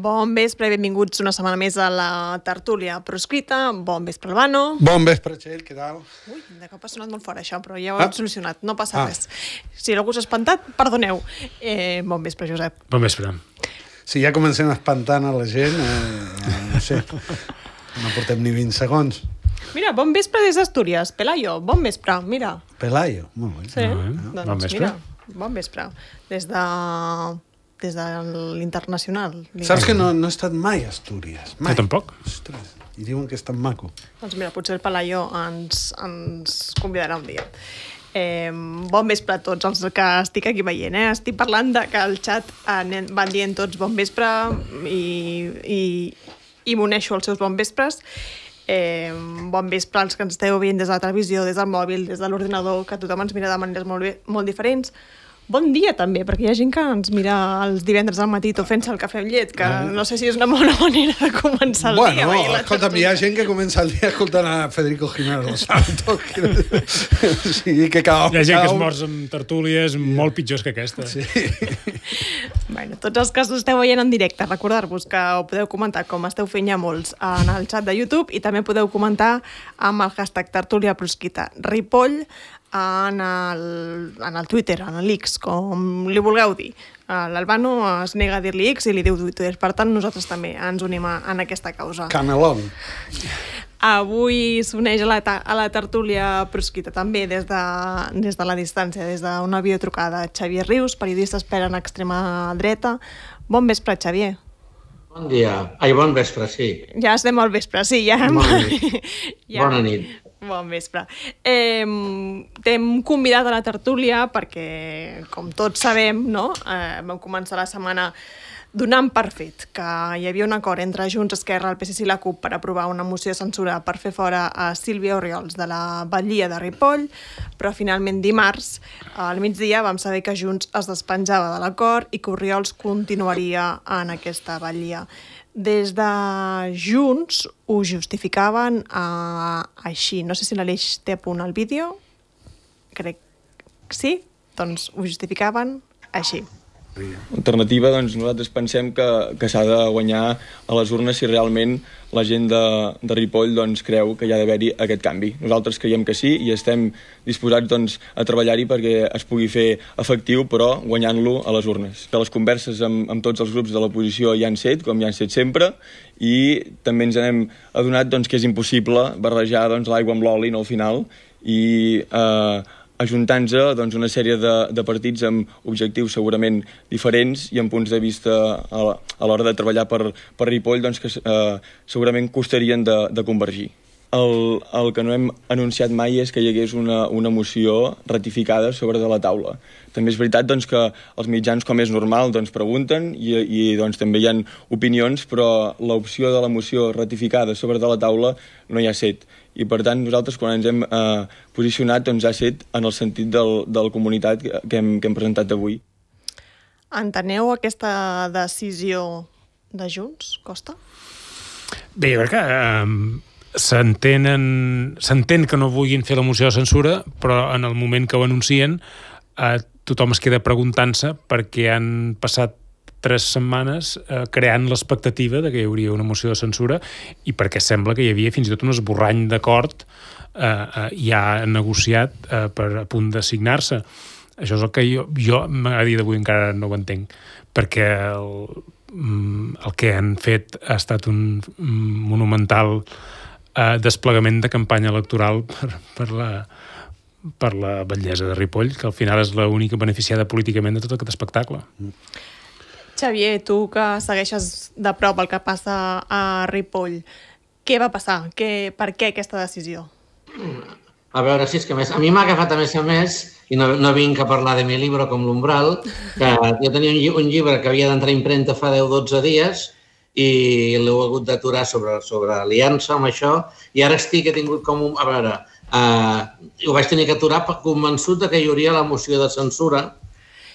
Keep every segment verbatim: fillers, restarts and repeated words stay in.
Bon vespre i benvinguts una setmana més a la tertúlia proscrita. Bon vespre, Albano. Bon vespre, Txell, què tal? Ui, de cop ha sonat molt fort això, però ja ho Ah. hem solucionat, no passa Ah. res. Si algú s'ha espantat, perdoneu. Eh, bon vespre, Josep. Bon vespre. Si ja comencem espantant a la gent, eh, no sé, no portem ni vint segons. Mira, bon vespre des d'Astúries. Pelayo, bon vespre, mira. Pelayo, molt bé. Sí, Molt bé. doncs Bon vespre. mira, bon vespre. Des de... des de l'internacional. Saps que no, no he estat mai a Astúries? Mai. Jo tampoc. Ostres, i diuen que és tan maco. Doncs mira, potser el Pelayo ens, ens convidarà un dia. Eh, bon vespre a tots els que estic aquí veient. Eh? Estic parlant de que al xat eh, van dient tots bon vespre i, i, i m'uneixo als seus bon vespres. Eh, bon vespre als que ens esteu veient des de la televisió, des del mòbil, des de l'ordinador, que tothom ens mira de maneres molt, bé, molt diferents. Bon dia també, perquè hi ha gent que ens mira els divendres al matí tot fent-se el cafè amb llet, que Ah. no sé si és una bona manera de començar el Bueno, dia. veient la escolta'm, hi ha gent que comença el dia escoltant a Federico Jiménez del Santo. O sigui, que cada Hi ha gent que es cada- mors amb tertúlies molt pitjors que aquesta. Sí. Bueno, tots els que us esteu veient en directe, recordar-vos que ho podeu comentar, com esteu fent ja molts, en el xat de YouTube, i també podeu comentar amb el hashtag tertúlia prosquita Ripoll en el, en el Twitter, en l'X, com li vulgueu dir. L'Albano es nega a dir-li X i li diu Twitter. Per tant, nosaltres també ens unim a, en aquesta causa. Canelón. Avui s'uneix a, la a la tertúlia prosquita també des de, des de la distància, des d'una videotrucada. Xavier Rius, periodista expert en extrema dreta. Bon vespre, Xavier. Bon dia. Ai, bon vespre, sí. Ja estem al vespre, sí. Ja hem... Bona nit. ja... Bona nit. Bon vespre. Eh, T'hem convidat a la tertúlia perquè, com tots sabem, no? eh, vam començar la setmana donant per fet que hi havia un acord entre Junts, Esquerra, el P S C i la CUP per aprovar una moció de censura per fer fora a Sílvia Orriols de la batllia de Ripoll, però finalment dimarts, al migdia, vam saber que Junts es despenjava de l'acord i que Orriols continuaria en aquesta batllia. Des de Junts ho justificaven eh, així. No sé si l'Aleix té a punt el vídeo. Crec que sí. Doncs ho justificaven així. Alternativa, doncs nosaltres pensem que, que s'ha de guanyar a les urnes si realment la gent de, de Ripoll doncs, creu que hi ha d'haver-hi aquest canvi. Nosaltres creiem que sí i estem disposats doncs, a treballar-hi perquè es pugui fer efectiu, però guanyant-lo a les urnes. Que les converses amb, amb tots els grups de l'oposició hi han set, com hi han set sempre, i també ens hem adonat doncs, que és impossible barrejar doncs, l'aigua amb l'oli al final i eh, ajuntant-se doncs, una sèrie de, de partits amb objectius segurament diferents i amb punts de vista a, a l'hora de treballar per, per Ripoll doncs, que eh, segurament costarien de, de convergir. El, el que no hem anunciat mai és que hi hagués una, una moció ratificada sobre de la taula. També és veritat doncs, que els mitjans, com és normal, doncs, pregunten i, i doncs, també hi ha opinions, però l'opció de la moció ratificada sobre de la taula no hi ha set. I per tant nosaltres quan ens hem eh, posicionat doncs, ha set en el sentit del, del comunitat que hem, que hem presentat avui. Enteneu aquesta decisió de Junts, Costa? Bé, jo crec que eh, s'entenen, s'entén que no vulguin fer la moció de censura, però en el moment que ho anuncien eh, tothom es queda preguntant-se perquè han passat tres setmanes eh, creant l'expectativa de que hi hauria una moció de censura i perquè sembla que hi havia fins i tot un esborrany d'acord eh, eh, ja negociat eh, per a punt de signar-se. Això és el que jo, jo a dia d'avui encara no ho entenc, perquè el, el que han fet ha estat un monumental eh, desplegament de campanya electoral per, per la per la batllessa de Ripoll, que al final és l'única beneficiada políticament de tot aquest espectacle. Xavier, tu que segueixes de prop el que passa a Ripoll, què va passar? Que, per què aquesta decisió? A veure, si és que més, a mi m'ha agafat a més a més, i no, no vinc a parlar de mi llibre com l'Umbral, que jo tenia un, lli un llibre que havia d'entrar a impremta fa deu o dotze dies i l'he hagut d'aturar sobre, sobre aliança amb això, i ara estic, he tingut com un... A veure, eh, ho vaig tenir que aturar convençut de que hi hauria la moció de censura.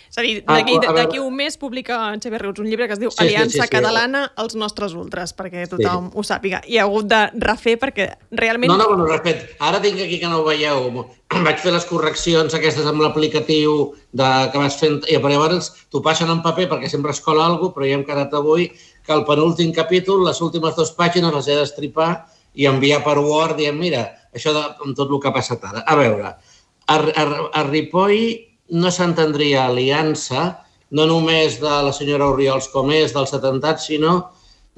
És a dir, d'aquí un mes publica Xavier Rius un llibre que es diu sí, Aliança sí, sí, sí. Catalana als nostres ultres, perquè tothom sí. ho sàpiga. I ha hagut de refer perquè realment... No, no, no, refet. Ara tinc aquí que no ho veieu. Vaig fer les correccions aquestes amb l'aplicatiu que vas fent... I llavors t'ho passen en paper perquè sempre es cola alguna cosa, però ja hem quedat avui que el penúltim capítol, les últimes dues pàgines les he d'estripar i enviar per Word dient, mira, això de, amb tot el que ha passat ara. A veure, a, a, a Ripoll no s'entendria aliança, no només de la senyora Oriols com és dels atemptats, sinó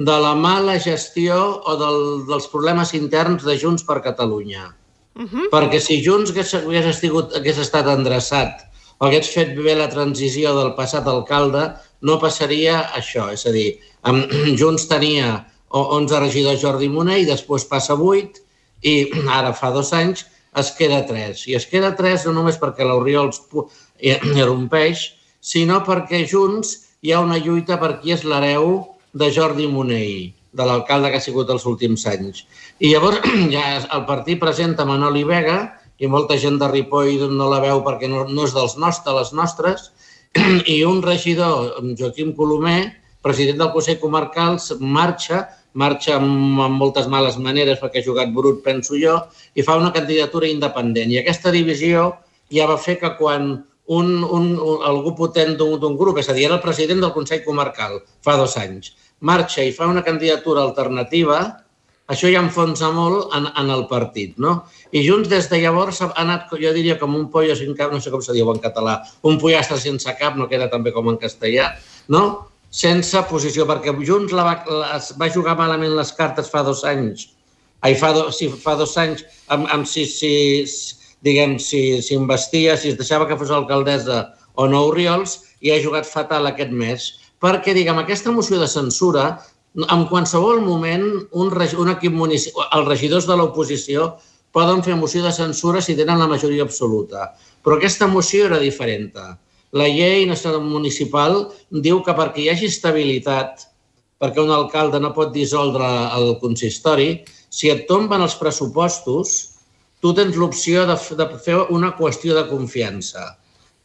de la mala gestió o del, dels problemes interns de Junts per Catalunya. Uh-huh. Perquè si Junts hagués, hagués, estigut, hagués estat endreçat o hagués fet bé la transició del passat alcalde, no passaria això. És a dir, Junts tenia onze regidors Jordi Munell, després passa vuit i ara fa dos anys es queda tres. I es queda tres no només perquè l'Oriols irrompeix, sinó perquè Junts hi ha una lluita per qui és l'hereu de Jordi Munell, de l'alcalde que ha sigut els últims anys. I llavors ja el partit presenta Manoli Vega i molta gent de Ripoll no la veu perquè no, no és dels nostres, les nostres, i un regidor, Joaquim Colomer, president del Consell Comarcal, marxa, marxa amb, amb moltes males maneres perquè ha jugat brut, penso jo, i fa una candidatura independent. I aquesta divisió ja va fer que quan un, un, un, algú potent d'un grup, és a dir, era el president del Consell Comarcal fa dos anys, marxa i fa una candidatura alternativa, això ja enfonsa molt en, en el partit, no? I Junts des de llavors ha anat, jo diria, com un pollo sin cap, no sé com se diu en català, un pollastre sense cap, no queda tan bé com en castellà, no? Sense posició, perquè Junts la va, la, va jugar malament les cartes fa dos anys, ai, fa, do, sí, fa dos anys, amb, amb si, si, diguem, si, si investia, si es deixava que fos alcaldessa o no Oriols, i ha jugat fatal aquest mes, perquè, diguem, aquesta moció de censura, en qualsevol moment, un, un equip municipal, els regidors de l'oposició poden fer moció de censura si tenen la majoria absoluta. Però aquesta moció era diferent. La llei municipal diu que perquè hi hagi estabilitat, perquè un alcalde no pot dissoldre el consistori, si et tomben els pressupostos, tu tens l'opció de, de fer una qüestió de confiança.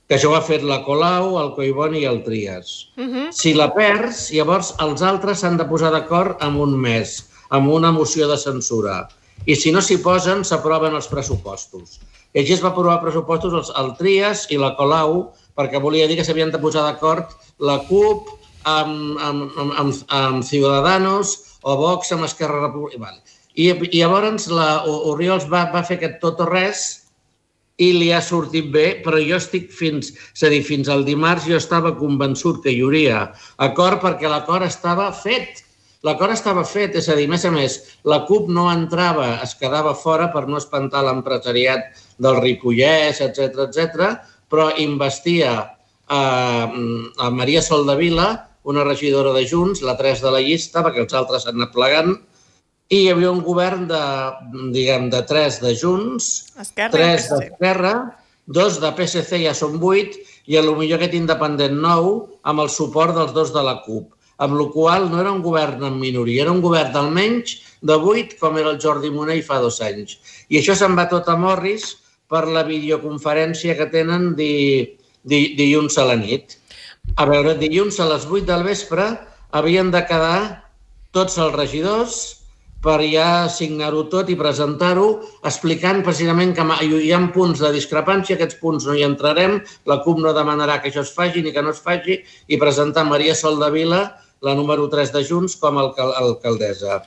Que això ho ha fet la Colau, el Collboni i el Trias. Uh-huh. Si la perds, llavors els altres s'han de posar d'acord en un mes, amb una moció de censura. I si no s'hi posen, s'aproven els pressupostos. I així es va aprovar pressupostos el, el Trias i la Colau, perquè volia dir que s'havien de posar d'acord la CUP amb, amb, amb, amb, amb Ciudadanos o Vox amb Esquerra Republicana. I, i llavors la Oriols va, va fer aquest tot o res i li ha sortit bé, però jo estic fins, és a dir, fins al dimarts jo estava convençut que hi hauria acord perquè l'acord estava fet. L'acord estava fet, és a dir, més a més, la CUP no entrava, es quedava fora per no espantar l'empresariat del Ripollès, etcètera, etcètera, però investia a, a Maria Soldevila, una regidora de Junts, la tres de la llista, perquè els altres s'han anat plegant, i hi havia un govern de, diguem, de tres de Junts, Esquerra, tres d'Esquerra, dos de P S C, ja són vuit, i potser aquest independent nou amb el suport dels dos de la CUP, amb la qual no era un govern en minoria, era un govern d'almenys de vuit, com era el Jordi Munell fa dos anys. I això se'n va tot a Morris per la videoconferència que tenen di, di, dilluns a la nit. A veure, dilluns a les vuit del vespre havien de quedar tots els regidors per ja signar-ho tot i presentar-ho, explicant precisament que hi ha punts de discrepància, aquests punts no hi entrarem, la CUP no demanarà que això es faci ni que no es faci, i presentar Maria Soldevila, la número tres de Junts, com a alcaldessa.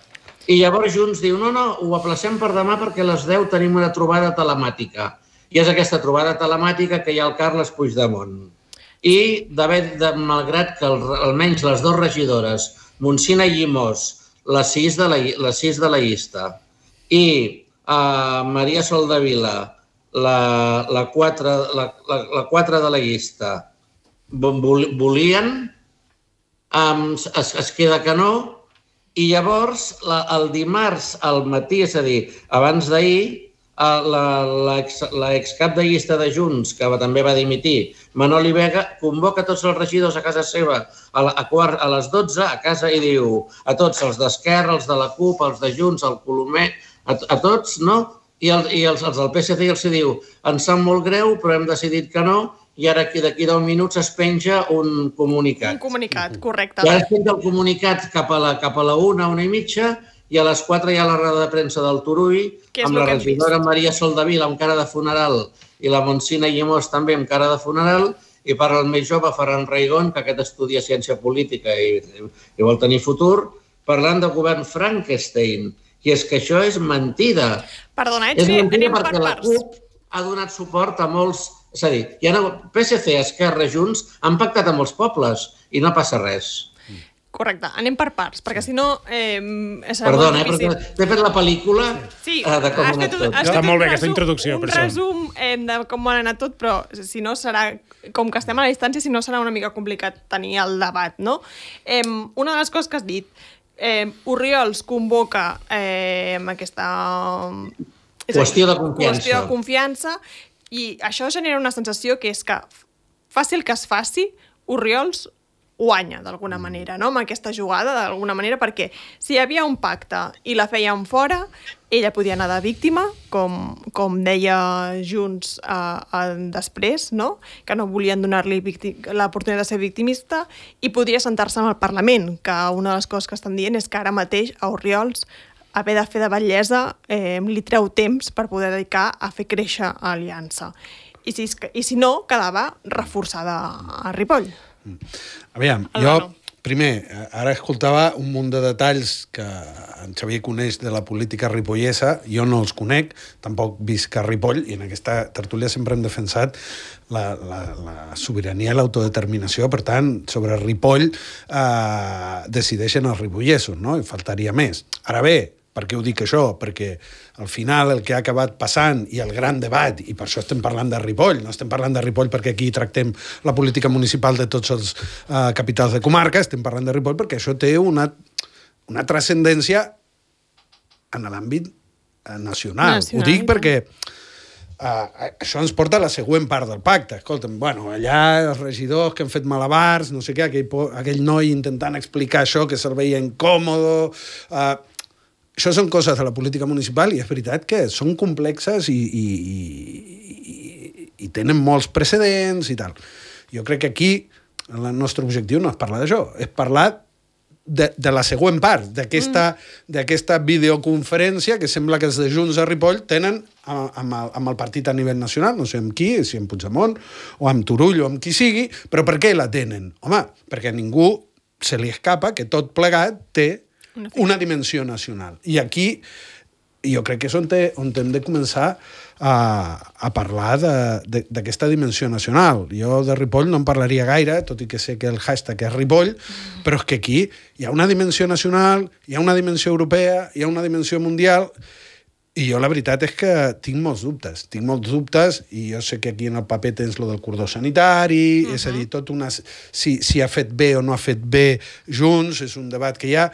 I llavors Junts diu, no, no, ho aplacem per demà perquè a les deu tenim una trobada telemàtica. I és aquesta trobada telemàtica que hi ha el Carles Puigdemont. I, de, malgrat que almenys les dues regidores, Monsina i Llimós, les sis de la, les sis de la llista, i uh, Maria Soldevila, la, la, quatre, la, la, la quatre de la llista, volien, um, es, es queda que no, i llavors la, el dimarts al matí, és a dir, abans d'ahir, l'excap de llista de Junts, que també va dimitir, Manoli Vega, convoca tots els regidors a casa seva a, la, a, quart, a les dotze a casa i diu a tots, els d'Esquerra, els de la CUP, els de Junts, el Colomer, a, a tots, no? I, el, i els, els del P S C els diu, ens sap molt greu, però hem decidit que no, i ara d'aquí deu minuts es penja un comunicat. Un comunicat, correcte. I ara es penja el comunicat cap a la, cap a la una, una i mitja, i a les quatre hi ha la roda de premsa del Turull, amb la regidora Maria Soldevila amb cara de funeral i la Monsina Llimós també amb cara de funeral, i parla el més jove, Ferran Raigón, que aquest estudia ciència política i, i vol tenir futur, parlant del govern Frankenstein. I és que això és mentida. Perdona, és anem mentida per perquè la parts. CUP ha donat suport a molts... És a dir, hi ha P S C, Esquerra, Junts, han pactat amb molts pobles i no passa res. Correcte, anem per parts, perquè si no eh, serà Perdona, molt eh, difícil. perquè t'he fet la pel·lícula Sí, eh, de com has ha fet anat un- tot. has Està fet molt un bé aquesta resum- introducció, per un això. resum eh, de com ha anat tot, però si no serà, com que estem a la distància, si no serà una mica complicat tenir el debat, no? Eh, una de les coses que has dit, eh, Orriols convoca eh, aquesta... és a dir, Qüestió de confiança. Qüestió de confiança, i això genera una sensació que és que faci el que es faci, Orriols guanya d'alguna manera, no? Amb aquesta jugada, d'alguna manera, perquè si hi havia un pacte i la feien fora, ella podia anar de víctima, com, com deia Junts eh, eh, després, no? Que no volien donar-li l'oportunitat de ser victimista, i podria sentar-se en el Parlament, que una de les coses que estan dient és que ara mateix a Orriols haver de fer de batllessa eh, li treu temps per poder dedicar a fer créixer Aliança. I si, i si no, quedava reforçada a Ripoll. Aviam, El jo, Gano. primer, ara escoltava un munt de detalls que en Xavier coneix de la política ripollesa, jo no els conec, tampoc visc a Ripoll, i en aquesta tertúlia sempre hem defensat la, la, la sobirania i l'autodeterminació, per tant, sobre Ripoll eh, decideixen els ripollesos, no? I faltaria més. Ara bé, per què ho dic això? Perquè al final el que ha acabat passant i el gran debat, i per això estem parlant de Ripoll, no estem parlant de Ripoll perquè aquí tractem la política municipal de tots els uh, capitals de comarca, estem parlant de Ripoll perquè això té una, una transcendència en l'àmbit uh, nacional. Nacional, Ho dic i perquè uh, això ens porta a la següent part del pacte. Escolta'm, bueno, allà els regidors que han fet malabars, no sé què, aquell, aquell noi intentant explicar això que se'l veia incòmodo... Uh, Això són coses de la política municipal i és veritat que són complexes i, i, i, i tenen molts precedents i tal. Jo crec que aquí el nostre objectiu no és parlar d'això, és parlar de, de la següent part, d'aquesta mm. videoconferència que sembla que els de Junts a Ripoll tenen amb el, amb el partit a nivell nacional, no sé amb qui, si amb Puigdemont o amb Turull o amb qui sigui, però per què la tenen? Home, perquè a ningú se li escapa que tot plegat té una dimensió nacional. I aquí jo crec que és on, te, on hem de començar a, a parlar d'aquesta dimensió nacional. Jo de Ripoll no en parlaria gaire, tot i que sé que el hashtag és Ripoll, però és que aquí hi ha una dimensió nacional, hi ha una dimensió europea, hi ha una dimensió mundial, i jo la veritat és que tinc molts dubtes. Tinc molts dubtes, i jo sé que aquí en el paper tens lo del cordó sanitari, uh-huh. és a dir, tot una, si, si ha fet bé o no ha fet bé Junts, és un debat que hi ha.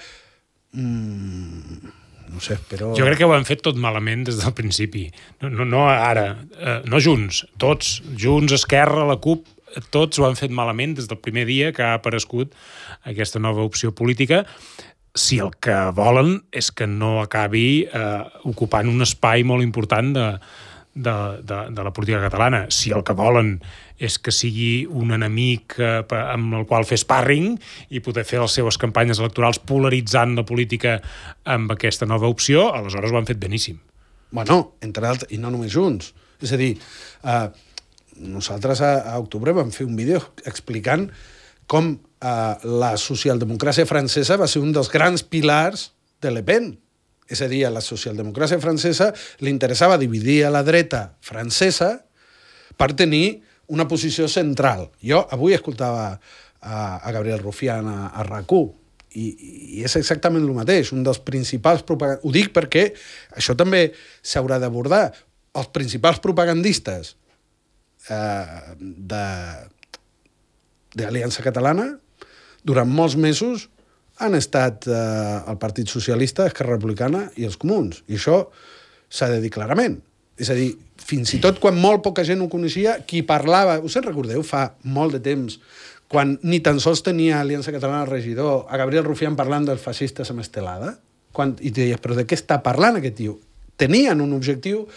Mm, no sé, però... Jo crec que ho han fet tot malament des del principi. No, no, no ara, eh, no Junts, tots. Junts, Esquerra, la CUP, tots ho han fet malament des del primer dia que ha aparegut aquesta nova opció política, si el que volen és que no acabi eh, ocupant un espai molt important de, de, de, de la política catalana. Si el que volen és que sigui un enemic eh, amb el qual fer sparring i poder fer les seves campanyes electorals polaritzant la política amb aquesta nova opció, aleshores ho han fet beníssim. Bueno, entre altres, i no només Junts. És a dir, eh, nosaltres a, a octubre vam fer un vídeo explicant com eh, la socialdemocràcia francesa va ser un dels grans pilars de Le Pen. És a dir, a la socialdemocràcia francesa li interessava dividir a la dreta francesa per tenir una posició central. Jo avui escoltava a, a Gabriel Rufián a, a RAC u i, i és exactament el mateix. Un dels principals propagandistes... Ho dic perquè això també s'haurà d'abordar. Els principals propagandistes eh, de d'Aliança Catalana durant molts mesos han estat eh, el Partit Socialista, Esquerra Republicana i els Comuns. I això s'ha de dir clarament. És a dir, fins i tot quan molt poca gent ho coneixia, qui parlava... Us en recordeu? Fa molt de temps, quan ni tan sols tenia Aliança Catalana regidor, a Gabriel Rufián parlant dels feixistes amb Estelada, quan, i deies, però de què està parlant aquest tio? Tenien un objectiu,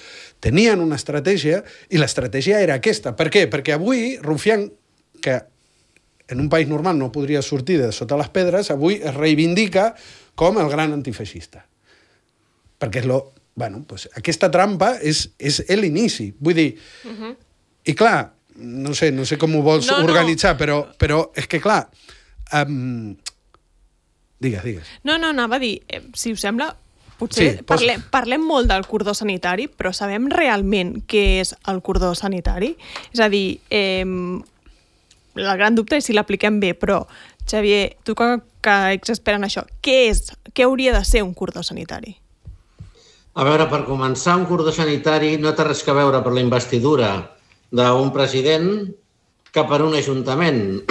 tenien una estratègia, i l'estratègia era aquesta. Per què? Perquè avui Rufián, que en un país normal no podria sortir de sota les pedres, avui es reivindica com el gran antifeixista. Perquè és lo... Bueno, pues aquesta trampa és, és l'inici. Vull dir... Uh-huh. I clar, no sé, no sé com ho vols no, organitzar, no. però, però és que, clar... Um... Digues, digues. No, no, anava a dir, eh, si us sembla, potser Sí, parlem, parlem molt del cordó sanitari, però sabem realment què és el cordó sanitari? És a dir, eh, el gran dubte és si l'apliquem bé, però, Xavier, tu que, que ets expert en això, què és, què hauria de ser un cordó sanitari? A veure, per començar, un cordó sanitari no té res a veure per la investidura d'un president que per un ajuntament.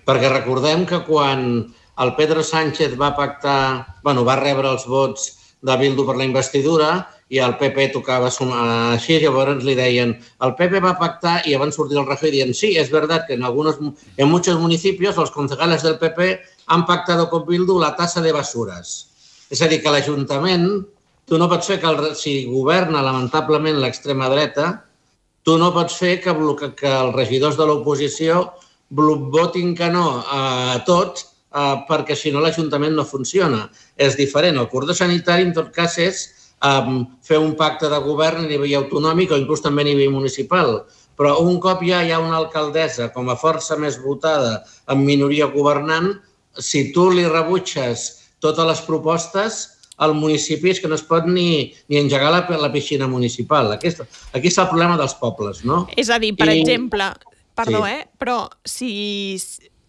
Perquè recordem que quan el Pedro Sánchez va pactar, bueno, va rebre els vots de Bildu per la investidura i el P P tocava sumar així, llavors li deien el P P va pactar i van sortir el Rajoy dient sí, es verdad que en, algunos, en muchos municipios los concejales del P P han pactado con Bildu la tasa de basuras. És a dir, que l'Ajuntament, tu no pots fer que, el, si governa lamentablement l'extrema dreta, tu no pots fer que, que els regidors de l'oposició votin que no a tot, Uh, perquè si no l'Ajuntament no funciona. És diferent. El cordó sanitari, en tot cas, és um, fer un pacte de govern a nivell autonòmic o inclús també a nivell municipal. Però un cop ja hi ha una alcaldessa com a força més votada en minoria governant, si tu li rebutges totes les propostes, al municipi és que no es pot ni, ni engegar la, la piscina municipal. Aquest, aquí està el problema dels pobles, no? És a dir, per I... exemple, perdó, sí. eh? Però si...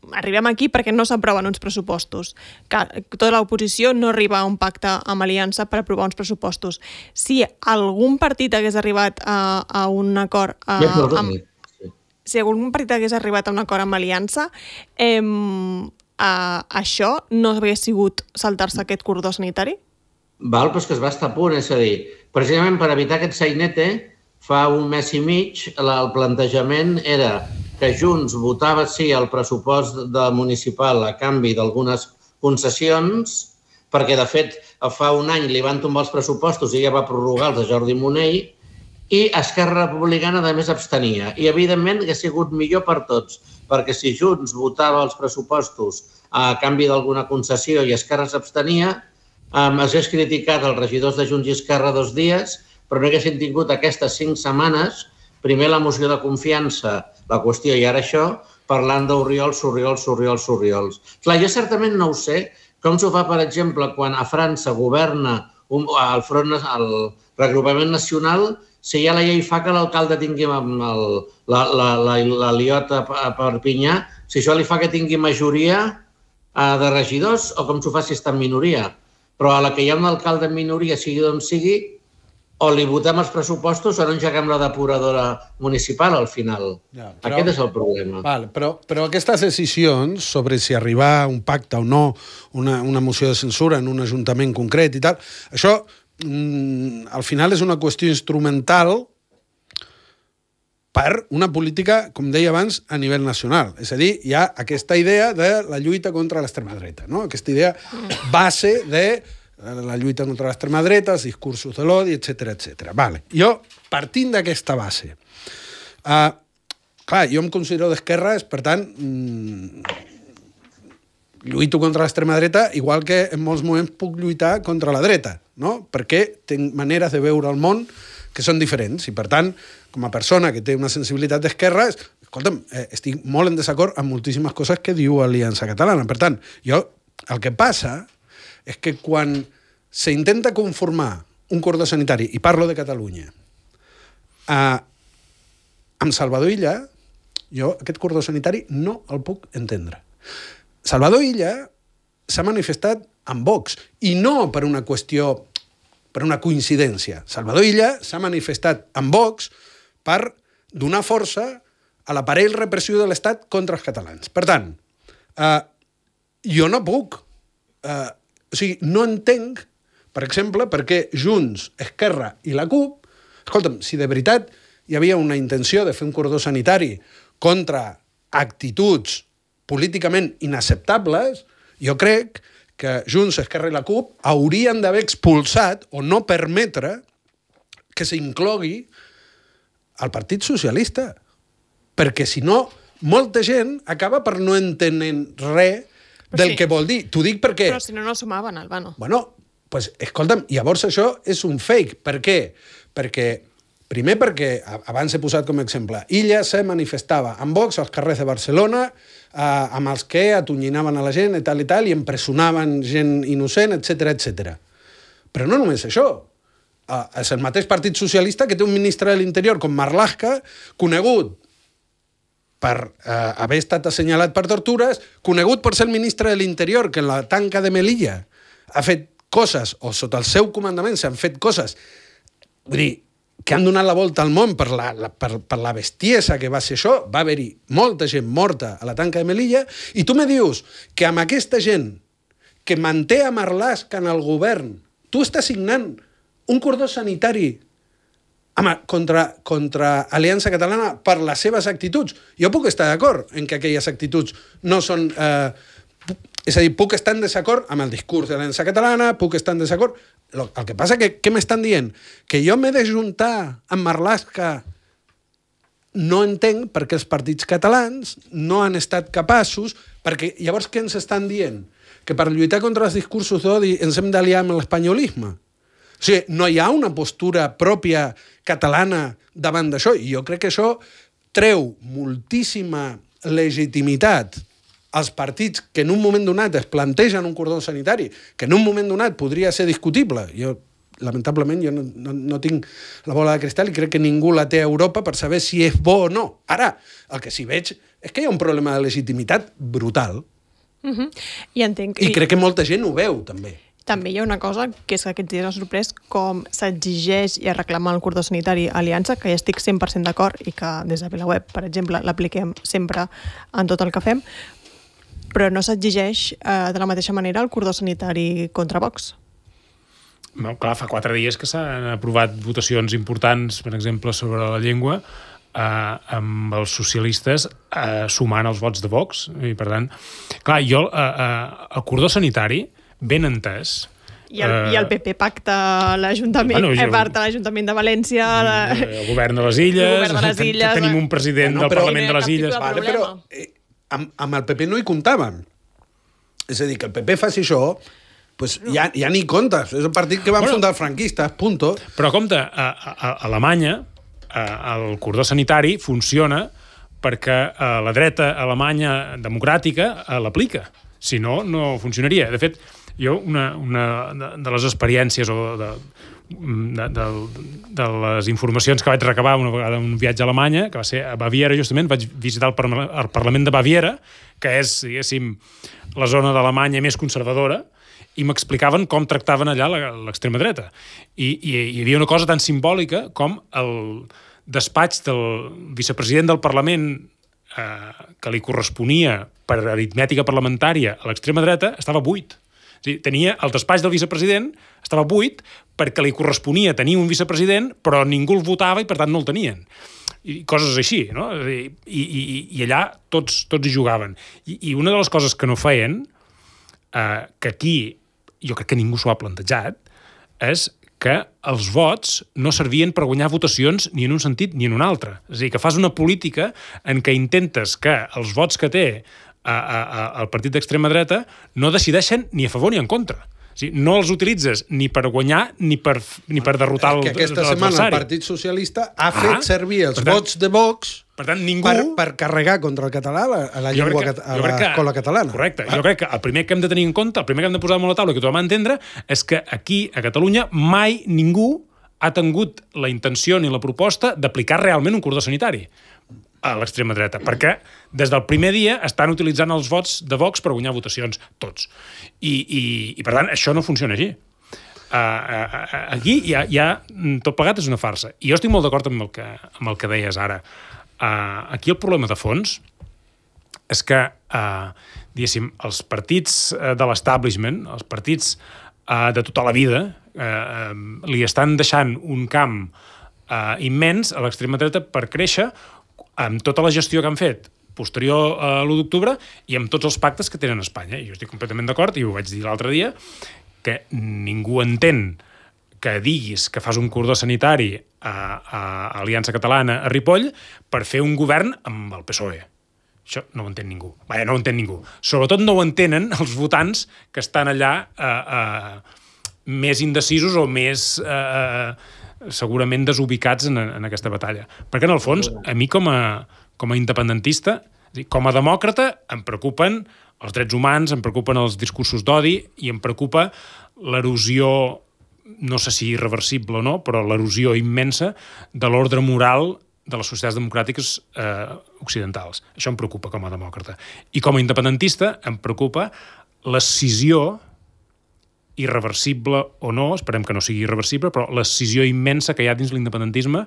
arribem aquí perquè no s'aproven uns pressupostos, que tota l'oposició no arriba a un pacte amb Aliança per aprovar uns pressupostos. Si algun partit hagués arribat a, a un acord a, amb, si algun partit hagués arribat a un acord amb Aliança, eh, a, això no hagués sigut saltar-se aquest cordó sanitari? Val, però és que es va estar a punt, és a dir, precisament per evitar aquest sainete, fa un mes i mig el plantejament era que Junts votava sí al pressupost de municipal a canvi d'algunes concessions, perquè, de fet, fa un any li van tombar els pressupostos i ja va prorrogar els de Jordi Monell, i Esquerra Republicana, a més, abstenia. I, evidentment, hauria sigut millor per tots, perquè si Junts votava els pressupostos a canvi d'alguna concessió i Esquerra s'abstenia, um, es hagués criticat els regidors de Junts i Esquerra dos dies, però no haguessin tingut aquestes cinc setmanes, primer la moció de confiança, la qüestió i ara això, parlant d'Oriols, Oriols, Oriols, Oriols. Clar, jo certament no ho sé com s'ho fa, per exemple, quan a França governa un, el, front, el regrupament nacional, si ja la llei fa que l'alcalde tingui el, la, la, la, la liota a Perpinyà, si això li fa que tingui majoria de regidors o com s'ho fa si està en minoria. Però a la que hi ha un alcalde en minoria, sigui d'on sigui, o li votem els pressupostos o no engeguem la depuradora municipal al final. Ja, però, aquest és el problema. Val, però, però aquestes decisions sobre si arribar a un pacte o no, una, una moció de censura en un ajuntament concret i tal, això mm, al final és una qüestió instrumental per una política, com deia abans, a nivell nacional. És a dir, hi ha aquesta idea de la lluita contra l'extrema dreta, no? Aquesta idea base de la lluita contra l'extrema dreta, els discursos de l'odi, etcètera, etcètera. Vale. Jo, partint d'aquesta base, uh, clar, jo em considero d'esquerres, per tant, mm, lluito contra l'extrema dreta, igual que en molts moments puc lluitar contra la dreta, no? Perquè tinc maneres de veure el món que són diferents, i per tant, com a persona que té una sensibilitat d'esquerres, escolta'm, eh, estic molt en desacord amb moltíssimes coses que diu Aliança Catalana. Per tant, jo, el que passa és que quan s'intenta conformar un cordó sanitari, i parlo de Catalunya, eh, amb Salvador Illa, jo aquest cordó sanitari no el puc entendre. Salvador Illa s'ha manifestat amb Vox, i no per una qüestió, per una coincidència. Salvador Illa s'ha manifestat amb Vox per donar força a l'aparell repressiu de l'Estat contra els catalans. Per tant, eh, jo no puc... Eh, o sigui, no entenc, per exemple, perquè Junts, Esquerra i la CUP, escolta'm, si de veritat hi havia una intenció de fer un cordó sanitari contra actituds políticament inacceptables, jo crec que Junts, Esquerra i la CUP haurien d'haver expulsat o no permetre que s'inclogui el Partit Socialista. Perquè, si no, molta gent acaba per no entenent res del sí. que vol dir. T'ho dic perquè... Però si no, no sumaven, Albano. Bueno, pues, escolta'm, llavors això és un fake. Per què? Perquè Primer perquè, abans he posat com a exemple, Illa se manifestava amb Vox als carrers de Barcelona eh, amb els que atonyinaven a la gent i tal i tal i empresonaven gent innocent, etcètera, etcètera. Però no només això. Eh, és el mateix Partit Socialista que té un ministre de l'Interior com Marlaska, conegut per eh, haver estat assenyalat per tortures, conegut per ser el ministre de l'Interior que en la tanca de Melilla ha fet coses, o sota el seu comandament s'han fet coses, vull dir, que han donat la volta al món per la, la, per, per la bestiesa que va ser això. Va haver-hi molta gent morta a la tanca de Melilla, i tu me dius que amb aquesta gent que manté a Marlaska en el govern, tu estàs signant un cordó sanitari Home, contra, contra Aliança Catalana per les seves actituds. Jo puc estar d'acord en que aquelles actituds no són... Eh, és a dir, puc estar en desacord amb el discurs de l'Aliança Catalana, puc estar en desacord... El que passa que, què m'estan dient? Que jo m'he de juntar amb Marlaska. No entenc perquè els partits catalans no han estat capaços, perquè llavors què ens estan dient? Que per lluitar contra els discursos d'odi ens hem d'aliar amb l'espanyolisme. O sigui, no hi ha una postura pròpia catalana davant d'això, i jo crec que això treu moltíssima legitimitat als partits que en un moment donat es plantegen un cordó sanitari, que en un moment donat podria ser discutible. Jo, lamentablement, jo no, no, no tinc la bola de cristal i crec que ningú la té a Europa per saber si és bo o no. Ara, el que sí veig és que hi ha un problema de legitimitat brutal. Uh-huh. I entenc... I crec que molta gent ho veu, també. També hi ha una cosa, que és que aquests dies ha sorprès com s'exigeix i es reclama el cordó sanitari a Aliança, que ja estic cent per cent d'acord i que des de VilaWeb, per exemple, l'apliquem sempre en tot el que fem, però no s'exigeix eh, de la mateixa manera el cordó sanitari contra Vox. No, clar, fa quatre dies que s'han aprovat votacions importants, per exemple, sobre la llengua, eh, amb els socialistes eh, sumant els vots de Vox. I, per tant, clar, jo, eh, eh, el cordó sanitari, ben entès... I el, uh, i el P P pacta l'Ajuntament, bueno, jo, eh, l'Ajuntament de València... La... El govern de les Illes... El govern de les Illes... Tenim un president no, del Parlament de les Illes... Vale, però eh, amb, amb el P P no hi comptaven. És a dir, que el P P faci això, pues ja, ja ni comptes. És el partit que van bueno, fundar els franquistes, punto. Però compte, a, a, a Alemanya a, el cordó sanitari funciona perquè a la dreta alemanya democràtica l'aplica. Si no, no funcionaria. De fet, jo, una, una de les experiències o de, de, de, de les informacions que vaig recabar una vegada en un viatge a Alemanya, que va ser a Baviera, justament, vaig visitar el, par el Parlament de Baviera, que és, diguéssim, la zona d'Alemanya més conservadora, i m'explicaven com tractaven allà l'extrema dreta. I, i hi havia una cosa tan simbòlica com el despatx del vicepresident del Parlament eh, que li corresponia per aritmètica parlamentària a l'extrema dreta estava buit. O sigui, tenia el despatx del vicepresident, estava buit perquè li corresponia tenir un vicepresident, però ningú el votava i per tant no el tenien. I coses així, no? I, i, i allà tots, tots hi jugaven. I, I una de les coses que no feien, eh, que aquí jo crec que ningú s'ho ha plantejat, és que els vots no servien per guanyar votacions ni en un sentit ni en un altre. És a dir, que fas una política en què intentes que els vots que té a, a, a, el partit d'extrema dreta no decideixen ni a favor ni en contra. O sigui, no els utilitzes ni per guanyar ni per, ni per derrotar l'adversari. Que aquesta setmana el Partit Socialista ha fet ah, servir els tant, vots de Vox per, tant, ningú... per, per carregar contra el català a la llengua que, a l'escola catalana. Correcte. Ah. Jo crec que el primer que hem de tenir en compte, el primer que hem de posar damunt la taula, que tothom ha d'entendre, és que aquí, a Catalunya, mai ningú ha tingut la intenció ni la proposta d'aplicar realment un cordó sanitari a l'extrema dreta, perquè des del primer dia estan utilitzant els vots de Vox per guanyar votacions, tots. I, i, i per tant, això no funciona així. Uh, uh, uh, aquí ja, ja tot plegat és una farsa. I jo estic molt d'acord amb, el que, amb el que deies ara. Uh, aquí el problema de fons és que, uh, diguéssim, els partits uh, de l'establishment, els partits uh, de tota la vida, uh, uh, li estan deixant un camp uh, immens a l'extrema dreta per créixer amb tota la gestió que han fet posterior a l'u d'octubre i amb tots els pactes que tenen a Espanya. I jo estic completament d'acord, i ho vaig dir l'altre dia, que ningú entén que diguis que fas un cordó sanitari a, a Aliança Catalana a Ripoll per fer un govern amb el P S O E. Això no ho entén ningú. Vaja, no ho entén ningú. Sobretot no ho entenen els votants que estan allà eh, eh, més indecisos o més... Eh, segurament desubicats en, en aquesta batalla. Perquè, en el fons, a mi com a, com a independentista, com a demòcrata, em preocupen els drets humans, em preocupen els discursos d'odi i em preocupa l'erosió, no sé si irreversible o no, però l'erosió immensa de l'ordre moral de les societats democràtiques eh, occidentals. Això em preocupa com a demòcrata. I com a independentista em preocupa l'escissió irreversible o no, esperem que no sigui irreversible, però l'escissió immensa que hi ha dins l'independentisme,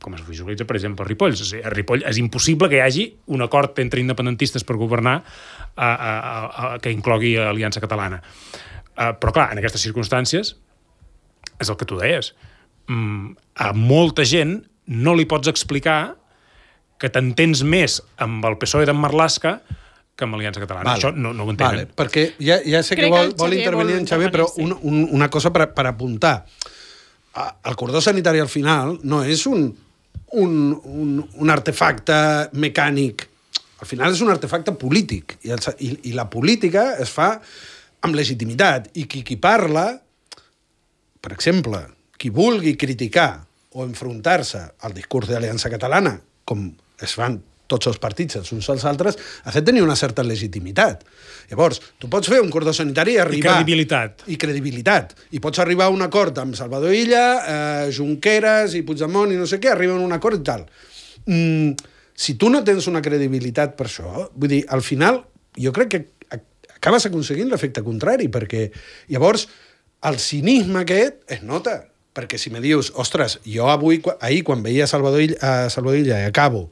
com es visualitza, per exemple, a Ripoll. A Ripoll és impossible que hi hagi un acord entre independentistes per governar a, a, a, que inclogui Aliança Catalana. Uh, però, clar, en aquestes circumstàncies, és el que tu deies, mm, a molta gent no li pots explicar que t'entens més amb el P S O E d'en Marlaska que amb Aliança Catalana. Vale. Això no, no ho entenen. Vale, perquè ja, ja sé Crec que vol, que vol intervenir en Xavier, però sí. un, un, una cosa per, per apuntar. El cordó sanitari al final no és un, un, un, un artefacte mecànic. Al final és un artefacte polític. I, el, i, i la política es fa amb legitimitat. I qui, qui parla, per exemple, qui vulgui criticar o enfrontar-se al discurs d'Aliança Catalana, com es fan tots els partits, els uns als altres, ha de tenir una certa legitimitat. Llavors, tu pots fer un cordó sanitari i arribar... I credibilitat. I credibilitat. I pots arribar a un acord amb Salvador Illa, eh, Junqueras i Puigdemont i no sé què, arriben a un acord i tal. Mm, si tu no tens una credibilitat per això, vull dir, al final, jo crec que acabes aconseguint l'efecte contrari, perquè llavors el cinisme aquest es nota. Perquè si me dius, ostres, jo avui, ahir, quan veia Salvador Illa, a Salvador Illa, i acabo,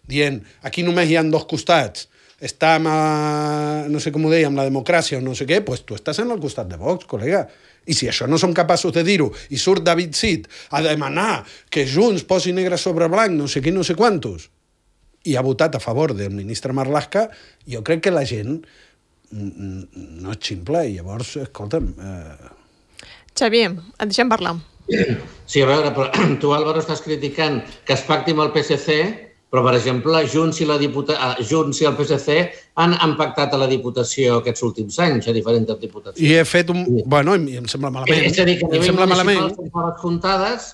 dient, aquí només hi ha dos costats, està amb, a, no sé com ho deia, amb la democràcia o no sé què, doncs tu estàs en el costat de Vox, col·lega. I si això no som capaços de dir-ho, i surt David Cid a demanar que Junts posi negre sobre blanc, no sé què, no sé quantos, i ha votat a favor del ministre Marlaska, jo crec que la gent no és ximple, i llavors, escolta'm... Eh... Xavier, et deixem parlar. Sí, a veure, però tu, Álvaro, estàs criticant que es pacti amb el P S C, però, per exemple, Junts i, la diputa... Junts i el P S C han, han pactat a la Diputació aquests últims anys, a diferents diputacions. I he fet un... Bueno, i em sembla malament. És a dir, que a nivell municipal són coses comptades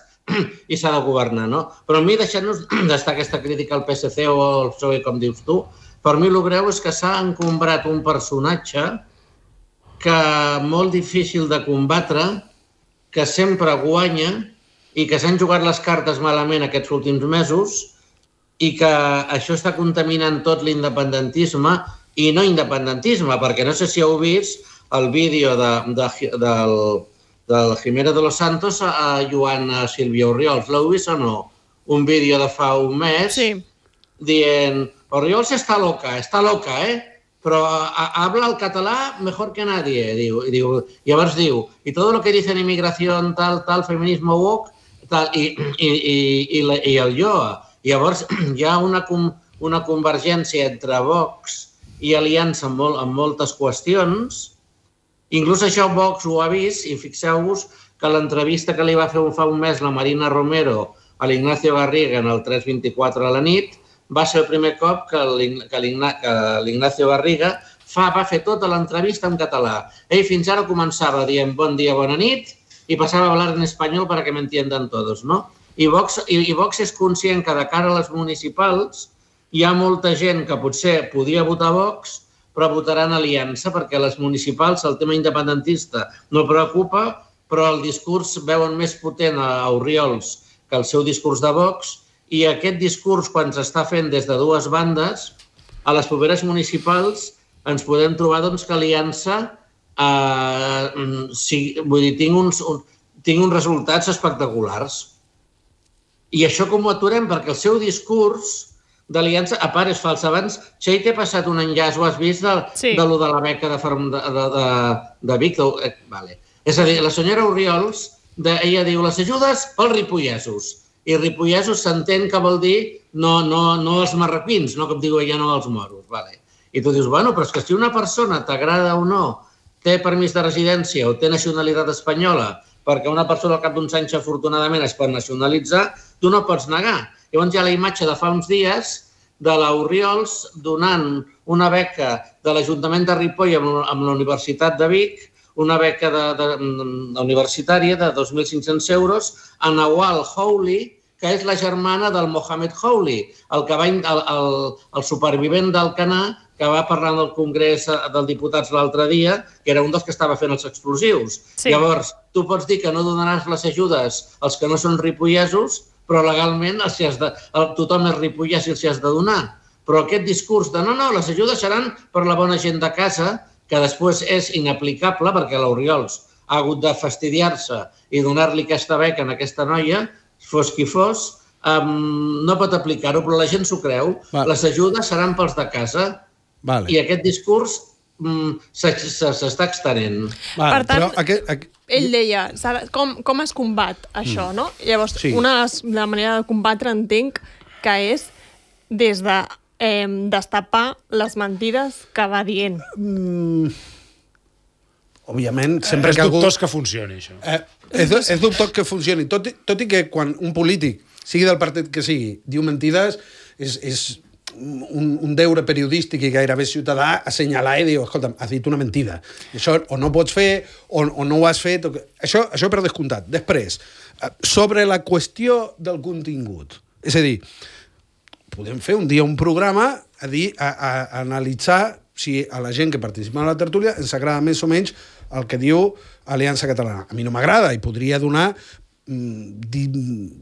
i s'ha de governar, no? Però a mi, deixant-nos d'estar aquesta crítica al P S C o al P S O E, com dius tu, per mi el greu és que s'ha encombrat un personatge que molt difícil de combatre, que sempre guanya i que s'han jugat les cartes malament aquests últims mesos i que això està contaminant tot l'independentisme i no independentisme, perquè no sé si heu vist el vídeo de, de, del, del Jiménez de los Santos a Joan Silvia Orriols. L'heu vist o no? Un vídeo de fa un mes sí. dient Orriols està loca, està loca, eh? Però habla el català mejor que nadie, diu. I diu, llavors diu, i tot lo que dicen inmigración, tal, tal, feminismo woke, tal, i, i, i, i, i el Lloa. Llavors hi ha una, una convergència entre Vox i Aliança en, molt, en moltes qüestions. Inclús això Vox ho ha vist, i fixeu-vos que l'entrevista que li va fer fa un mes la Marina Romero a l'Ignacio Garriga en el tres vint-i-quatre a la nit va ser el primer cop que l'Ignacio Garriga fa, va fer tota l'entrevista en català. Ell fins ara començava dient bon dia, bona nit, i passava a hablar en espanyol para que me entiendan todos, no? I Vox, i, i Vox és conscient que de cara a les municipals hi ha molta gent que potser podia votar Vox, però votaran Aliança, perquè a les municipals el tema independentista no preocupa, però el discurs veuen més potent a Orriols que el seu discurs de Vox, i aquest discurs, quan s'està fent des de dues bandes, a les properes municipals ens podem trobar doncs, que Aliança eh, sí, vull dir, tinc, uns, un, tinc uns resultats espectaculars. I això com ho aturem? Perquè el seu discurs d'Aliança, a part, és fals. Abans, Txell, t'he passat un enllaç, ho has vist, de, sí. de, de la beca de, de, de, de Vic? Eh, vale. És a dir, la senyora Orriols, de, ella diu, les ajudes pels ripollesos. I ripollesos s'entén que vol dir no, no, no els marroquins, no com diu ella, no els moros. Vale. I tu dius, bueno, però és que si una persona t'agrada o no, té permís de residència o té nacionalitat espanyola, perquè una persona al cap d'uns anys afortunadament es pot nacionalitzar, tu no pots negar. Llavors hi ha la imatge de fa uns dies de l'Orriols donant una beca de l'Ajuntament de Ripoll amb la Universitat de Vic, una beca de, de, de universitària de dos mil cinc-cents euros a Nawal Howley, que és la germana del Mohamed Howley, el, que va, el, el, el supervivent d'Alcanar, que va parlar del Congrés dels Diputats l'altre dia, que era un dels que estava fent els explosius. Sí. Llavors, tu pots dir que no donaràs les ajudes als que no són ripollesos, però legalment els has de, el, tothom és ripollès i els has de donar. Però aquest discurs de no, no, les ajudes seran per la bona gent de casa, que després és inaplicable perquè l'Oriols ha hagut de fastidiar-se i donar-li aquesta beca a aquesta noia, fos qui fos, um, no pot aplicar-ho, però la gent s'ho creu. Vale. Les ajudes seran pels de casa. Vale. I aquest discurs mm, s'està extenent. Vale, per tant, però aquest, aquest... ell deia com, com es combat això, mm. no? Llavors, sí. una de les, la manera de combatre entenc que és des de eh, destapar les mentides que va dient. Mm. Òbviament, sempre és que algú... dubtós que funcioni, això. Eh, és, és dubtós que funcioni. Tot, tot i que quan un polític, sigui del partit que sigui, diu mentides, és, és un, un deure periodístic i gairebé ciutadà assenyalar i dir, escolta, has dit una mentida. Això o no pots fer o, o no ho has fet. O... Això, això per descomptat. Després, sobre la qüestió del contingut. És a dir, podem fer un dia un programa a dir, a, a, a analitzar si a la gent que participa en la tertúlia ens agrada més o menys el que diu Aliança Catalana. A mi no m'agrada i podria donar mm, di,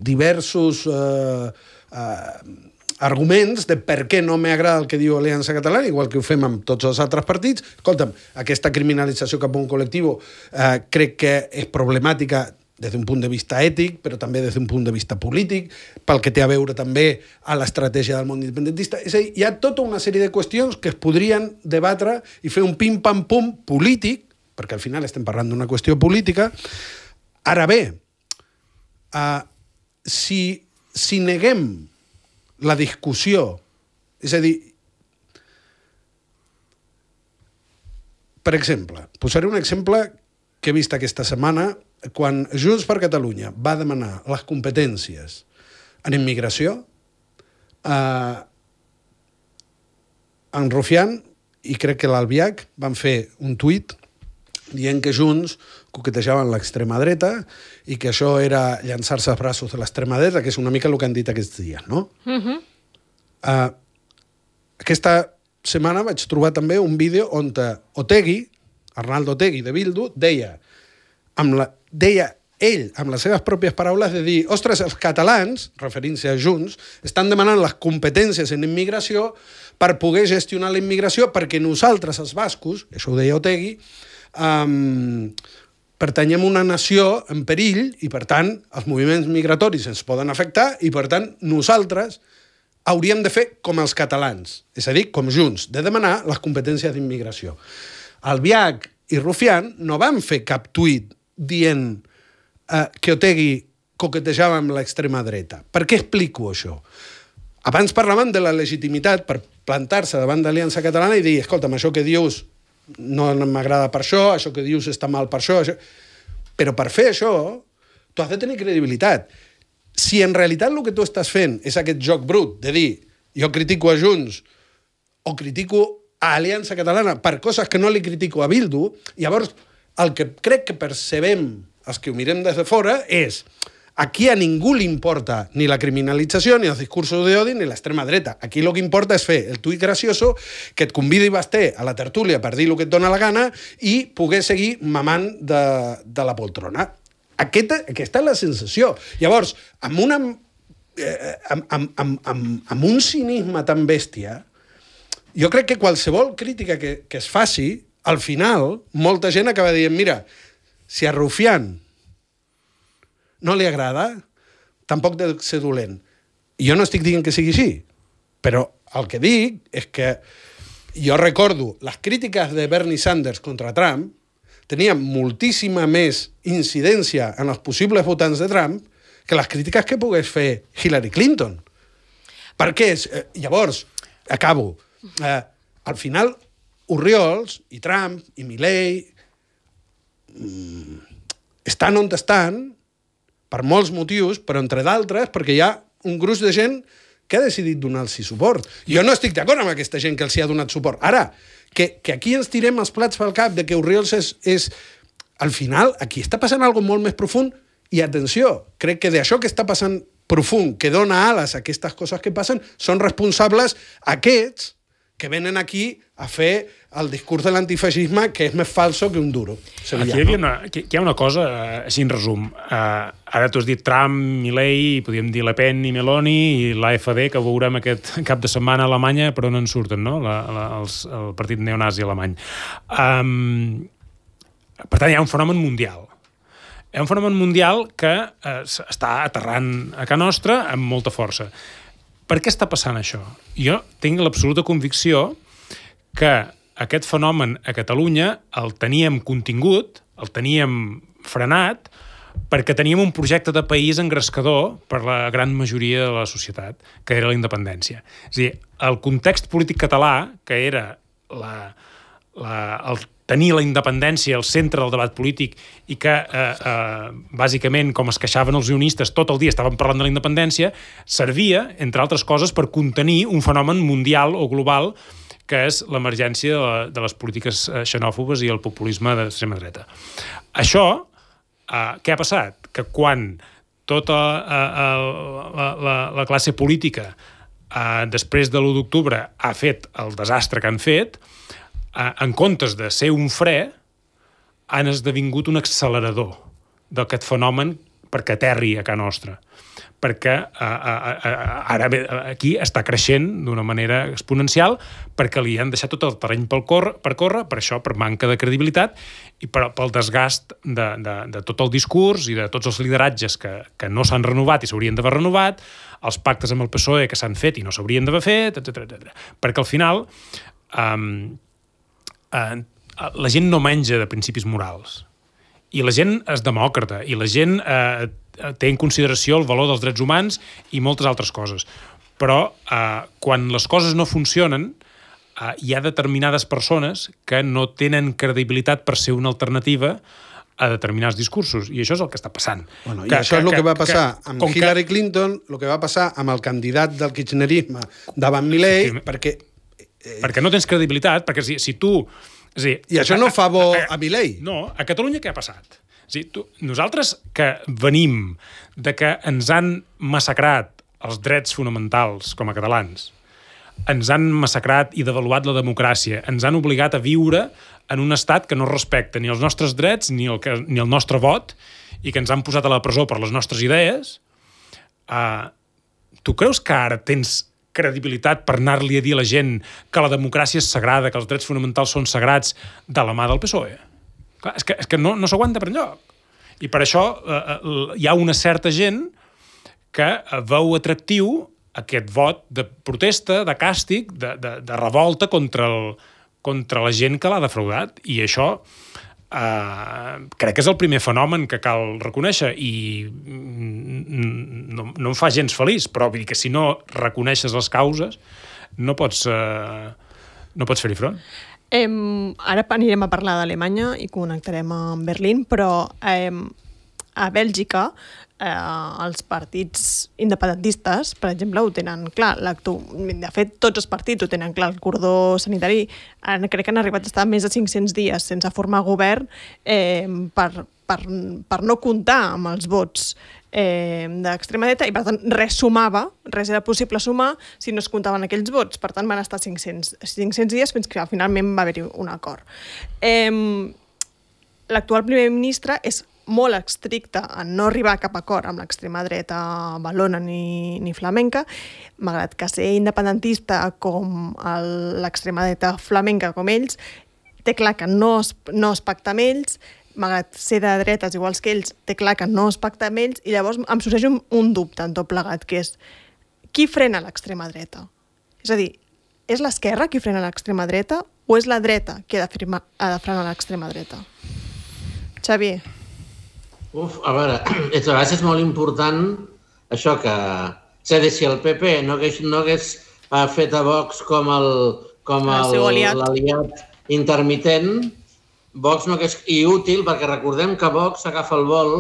diversos eh, eh, arguments de per què no m'agrada el que diu Aliança Catalana, igual que ho fem amb tots els altres partits. Escolta'm, aquesta criminalització cap a un col·lectiu eh, crec que és problemàtica des d'un punt de vista ètic, però també des d'un punt de vista polític, pel que té a veure també a l'estratègia del món independentista. És a dir, hi ha tota una sèrie de qüestions que es podrien debatre i fer un pim-pam-pum polític, perquè al final estem parlant d'una qüestió política. Ara bé, uh, si, si neguem la discussió, és a dir, per exemple, posaré un exemple que he vist aquesta setmana, quan Junts per Catalunya va demanar les competències en immigració, eh, en Rufián i crec que l'Albiach van fer un tuit dient que Junts coquetejaven l'extrema dreta i que això era llançar-se als braços de l'extrema dreta, que és una mica el que han dit aquests dies, no? Uh-huh. eh, aquesta setmana vaig trobar també un vídeo on Otegi, Arnaldo Otegi de Bildu, deia amb la, deia ell, amb les seves pròpies paraules, de dir, ostres, els catalans, referint-se a Junts, estan demanant les competències en immigració per poder gestionar la immigració, perquè nosaltres, els bascos, això ho deia Otegi, um, pertanyem a una nació en perill i, per tant, els moviments migratoris ens poden afectar i, per tant, nosaltres hauríem de fer com els catalans, és a dir, com Junts, de demanar les competències d'immigració. Albiach i Rufián no van fer cap tuit dient eh, que Otegi coquetejava amb l'extrema dreta. Per què explico això? Abans parlaven de la legitimitat per plantar-se davant d'Aliança Catalana i dir, escolta'm, això que dius no m'agrada per això, això que dius està mal per això, això... Però per fer això, tu has de tenir credibilitat. Si en realitat el que tu estàs fent és aquest joc brut de dir, jo critico a Junts o critico a Aliança Catalana per coses que no li critico a Bildu, llavors el que crec que percebem els que ho mirem des de fora és aquí a ningú li importa ni la criminalització, ni els discursos d'odi, ni l'extrema dreta. Aquí el que importa és fer el tuit gracioso que et convidi Basté a la tertúlia per dir el que et dona la gana i poder seguir mamant de, de la poltrona. Aquesta, aquesta és la sensació. Llavors, amb, una, eh, amb, amb, amb, amb, amb un cinisme tan bèstia, jo crec que qualsevol crítica que, que es faci, al final, molta gent acaba dient, mira, si a Rufián no li agrada, tampoc deu ser dolent. I jo no estic dient que sigui així, però el que dic és que jo recordo les crítiques de Bernie Sanders contra Trump tenien moltíssima més incidència en els possibles votants de Trump que les crítiques que pogués fer Hillary Clinton. Perquè, eh, llavors, acabo, eh, al final, Oriols i Trump i Milei mm, estan on estan per molts motius, però entre d'altres perquè hi ha un gruix de gent que ha decidit donar-los suport. Jo no estic d'acord amb aquesta gent que els hi ha donat suport. Ara, que, que aquí ens tirem els plats pel cap de que Oriols és, és al final, aquí està passant algo molt més profund i, atenció, crec que d'això que està passant profund, que dona ales a aquestes coses que passen, són responsables aquests que venen aquí a fer el discurs de l'antifeixisme que és més falso que un duro. Aquí hi, havia una, aquí hi ha una cosa, així en resum. Uh, ara tu has dit Trump, Milei, podríem dir Le Pen i Meloni i l'A F D, que veurem aquest cap de setmana a Alemanya, però no en surten, no? La, la, els, el partit neonazi alemany. Um, per tant, hi ha un fenomen mundial. Hi ha un fenomen mundial que uh, està aterrant a casa nostra amb molta força. Per què està passant això? Jo tinc l'absoluta convicció que aquest fenomen a Catalunya el teníem contingut, el teníem frenat, perquè teníem un projecte de país engrescador per la gran majoria de la societat, que era la independència. És a dir, el context polític català, que era la, la, el tenir la independència al centre del debat polític i que, eh, eh, bàsicament, com es queixaven els unionistes, tot el dia estaven parlant de la independència, servia, entre altres coses, per contenir un fenomen mundial o global que és l'emergència de, la, de les polítiques xenòfobes i el populisme d'extrema dreta. Això, eh, què ha passat? Que quan tota eh, la, la, la classe política, eh, després de l'u d'octubre, ha fet el desastre que han fet, en comptes de ser un fre, han esdevingut un accelerador d'aquest fenomen perquè aterri a casa nostra. Perquè a, a, a, ara aquí està creixent d'una manera exponencial perquè li han deixat tot el terreny per córrer, per, córrer, per això, per manca de credibilitat i per, pel desgast de, de, de tot el discurs i de tots els lideratges que, que no s'han renovat i s'haurien d'haver renovat, els pactes amb el P S O E que s'han fet i no s'haurien d'haver fet, etcètera, etcètera. Perquè al final um, uh, la gent no menja de principis morals. I la gent és demòcrata, i la gent eh, té en consideració el valor dels drets humans i moltes altres coses. Però eh, quan les coses no funcionen, eh, hi ha determinades persones que no tenen credibilitat per ser una alternativa a determinats discursos, i això és el que està passant. Bueno, que, I això que, és el que, que va passar que, amb Hillary que... Clinton, el que va passar amb el candidat del kirchnerisme davant Milei, perquè... Eh... Perquè no tens credibilitat, perquè si, si tu... És dir, I això no fa bo a, a, a Milei. No, a Catalunya què ha passat? És dir, tu, nosaltres que venim de que ens han massacrat els drets fonamentals com a catalans, ens han massacrat i devaluat la democràcia, ens han obligat a viure en un estat que no respecta ni els nostres drets ni el, que, ni el nostre vot i que ens han posat a la presó per les nostres idees, uh, tu creus que ara tens credibilitat per anar-li a dir a la gent que la democràcia és sagrada, que els drets fonamentals són sagrats de la mà del P S O E? Clar, és que, és que no, no s'aguanta per enlloc. I per això eh, hi ha una certa gent que veu atractiu aquest vot de protesta, de càstig, de, de, de revolta contra, el, contra la gent que l'ha defraudat. I això eh, crec que és el primer fenomen que cal reconèixer i no, no em fa gens feliç, però vull dir que si no reconeixes les causes no pots, eh, no pots fer-hi front. Eh, ara anirem a parlar d'Alemanya i connectarem amb Berlín, però eh, a Bèlgica eh, els partits independentistes, per exemple, ho tenen clar. De fet, tots els partits ho tenen clar. El cordó sanitari crec que han arribat a estar més de cinc-cents dies sense formar govern eh, per, per, per no comptar amb els vots eh, d'extrema dreta i, per tant, res sumava, res era possible sumar si no es comptaven aquells vots. Per tant, van estar cinc-cents dies fins que finalment va haver-hi un acord. Eh, l'actual primer ministre és molt estricte en no arribar a cap acord amb l'extrema dreta valona ni, ni flamenca, malgrat que ser independentista com l'extrema dreta flamenca com ells, té clar que no es, no es pacta amb ells, malgrat ser de dretes iguals que ells, té clar que no es pacta amb ells, i llavors em sorgeix un, un dubte en tot plegat, que és qui frena l'extrema dreta? És a dir, és l'esquerra qui frena l'extrema dreta o és la dreta qui ha de, firma, ha de frenar l'extrema dreta? Xavier. Uf, a veure, és, a vegades és molt important això que... És a dir, si el P P no hagués, no hagués fet a Vox com el com l'aliat intermitent, Vox no hagués... I útil, perquè recordem que Vox agafa el vol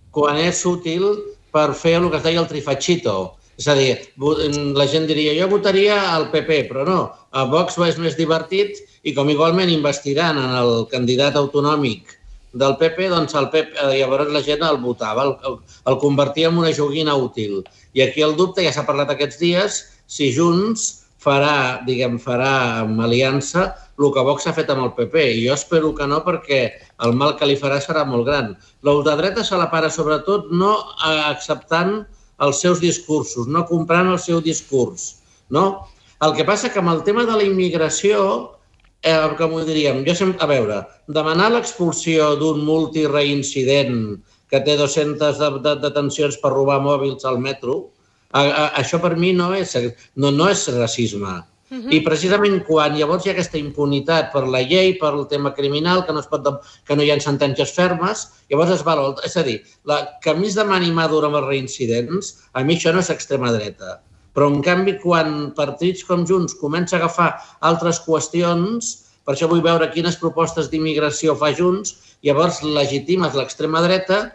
quan és útil per fer el que es deia el trifachito. És a dir, la gent diria, jo votaria al P P, però no. A Vox és més divertit i com igualment investiran en el candidat autonòmic del P P, doncs el P P, eh, llavors la gent el votava, el, el, el convertia en una joguina útil. I aquí el dubte, ja s'ha parlat aquests dies, si Junts farà, diguem, farà amb aliança el que Vox ha fet amb el P P. I jo espero que no, perquè el mal que li farà serà molt gran. L'ultradreta se la para sobretot no acceptant els seus discursos, no comprant el seu discurs, no? El que passa que amb el tema de la immigració, eh, com ho diríem, jo sempre, a veure, demanar l'expulsió d'un multireincident que té dues-centes detencions per robar mòbils al metro, a, a, això per mi no és, no, no és racisme. Uh-huh. I precisament quan llavors hi ha aquesta impunitat per la llei, per el tema criminal, que no, es pot, que no hi ha sentències fermes, llavors es val. És a dir, la, que a mi es demani mà dura amb els reincidents, a mi això no és extrema dreta. Però, en canvi, quan partits com Junts comença a agafar altres qüestions, per això vull veure quines propostes d'immigració fa Junts, llavors legitimes l'extrema dreta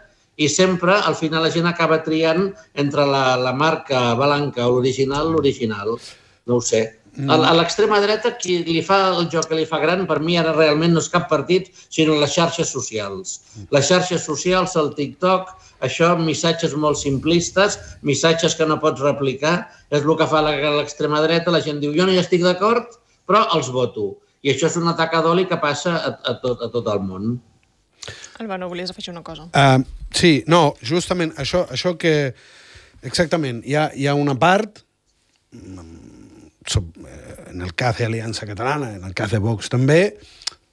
i sempre, al final, la gent acaba triant entre la, la marca blanca o l'original, l'original. No ho sé. A l'extrema dreta, qui li fa el joc que li fa gran, per mi ara realment no és cap partit, sinó les xarxes socials. Les xarxes socials, el TikTok, això, missatges molt simplistes, missatges que no pots replicar, és el que fa l'extrema dreta. La gent diu, jo no hi estic d'acord, però els voto. I això és un atac d'oli que passa a, a, tot, a tot el món. Albano, volies afegir una cosa? Uh, sí, no, justament això, això que... Exactament, hi ha, hi ha una part... en el cas d'Aliança Catalana, en el cas de Vox també,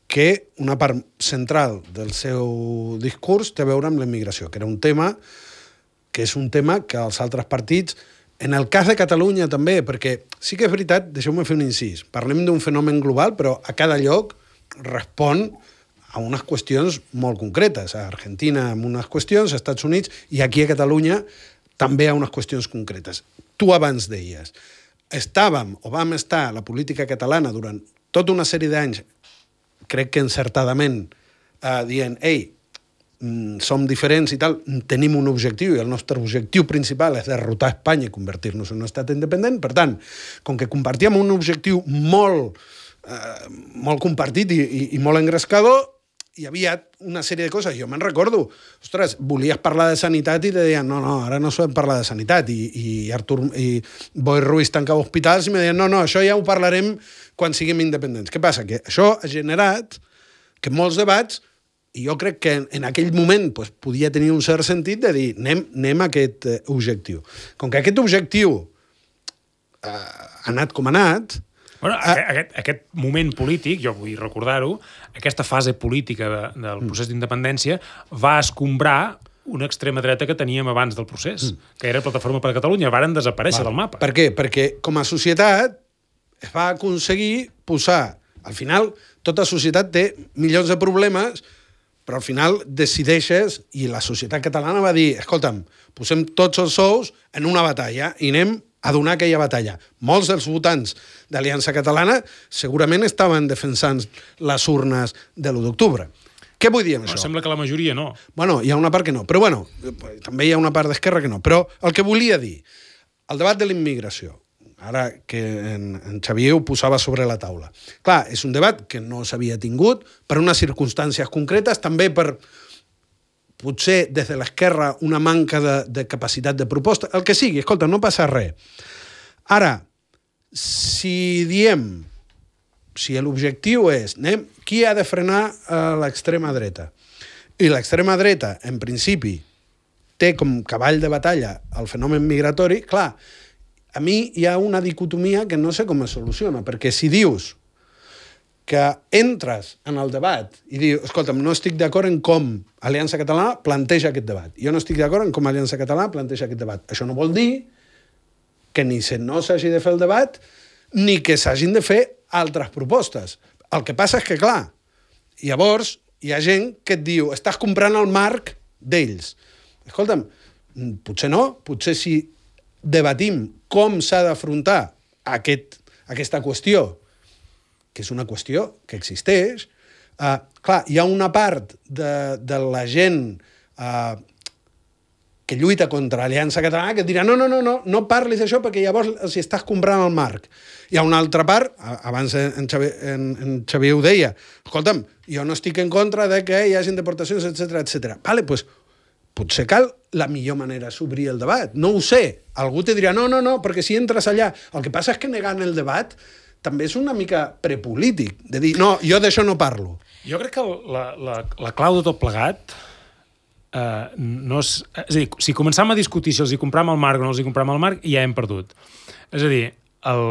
que una part central del seu discurs té a veure amb la immigració, que era un tema que és un tema que els altres partits, en el cas de Catalunya també, perquè sí que és veritat, deixeu-me fer un incís, parlem d'un fenomen global, però a cada lloc respon a unes qüestions molt concretes. A Argentina amb unes qüestions, a Estats Units, i aquí a Catalunya també a unes qüestions concretes. Tu abans deies, estàvem o vam estar a la política catalana durant tota una sèrie d'anys, crec que encertadament, eh, dient, ei, mm, som diferents i tal, tenim un objectiu, i el nostre objectiu principal és derrotar Espanya i convertir-nos en un estat independent. Per tant, com que compartíem un objectiu molt, eh, molt compartit i, i, i molt engrescador, hi havia una sèrie de coses. Jo me'n recordo, ostres, volies parlar de sanitat i te deien, no, no, ara no sabem parlar de sanitat. I, i Artur i Boi Ruiz tancava hospitals i me deien, no, no, això ja ho parlarem quan siguem independents. Què passa? Que això ha generat que molts debats, i jo crec que en, en aquell moment pues, podia tenir un cert sentit de dir, anem, anem a aquest eh, objectiu. Com que aquest objectiu eh, ha anat com ha anat, Bueno, aquest, aquest moment polític, jo vull recordar-ho, aquesta fase política de, del procés d'independència va escombrar una extrema dreta que teníem abans del procés, mm. que era Plataforma per Catalunya, varen desaparèixer va. del mapa. Per què? Perquè com a societat es va aconseguir posar... Al final, tota societat té milions de problemes, però al final decideixes, i la societat catalana va dir, escolta'm, posem tots els sous en una batalla i anem a donar aquella batalla. Molts dels votants d'Aliança Catalana segurament estaven defensant les urnes de l'u d'octubre. Què vull dir amb Però això? sembla que la majoria no. Bueno, hi ha una part que no. Però bueno, també hi ha una part d'esquerra que no. Però el que volia dir, el debat de la immigració, ara que en, en Xavier ho posava sobre la taula. Clar, és un debat que no s'havia tingut per unes circumstàncies concretes, també per... potser des de l'esquerra una manca de, de capacitat de proposta, el que sigui, escolta, no passa res. Ara, si diem, si l'objectiu és, anem, qui ha de frenar a l'extrema dreta? I l'extrema dreta, en principi, té com cavall de batalla el fenomen migratori, clar, a mi hi ha una dicotomia que no sé com es soluciona, perquè si dius que entres en el debat i dius, escolta'm, no estic d'acord en com Aliança Catalana planteja aquest debat. Jo no estic d'acord en com Aliança Catalana planteja aquest debat. Això no vol dir que ni se no s'hagi de fer el debat ni que s'hagin de fer altres propostes. El que passa és que, clar, llavors hi ha gent que et diu, estàs comprant el marc d'ells. Escolta'm, potser no, potser si debatim com s'ha d'afrontar aquest, aquesta qüestió, que és una qüestió que existeix, uh, clar, hi ha una part de, de la gent uh, que lluita contra Aliança Catalana, que et dirà no, no, no, no, no parlis d'això perquè llavors els estàs comprant el marc. Hi ha una altra part, abans en Xavier, en, en Xavier ho deia, escolta'm, jo no estic en contra de que hi hagin deportacions, etcètera, etcètera. Vale, doncs potser cal la millor manera d'obrir el debat. No ho sé. Algú te dirà no, no, no, perquè si entres allà... El que passa és que negant el debat també és una mica prepolític, de dir, no, jo d'això no parlo. Jo crec que la, la, la clau de tot plegat Uh, no és, és a dir, si començam a discutir si els hi compram el marc o no els hi compram el marc, ja hem perdut. És a dir, el,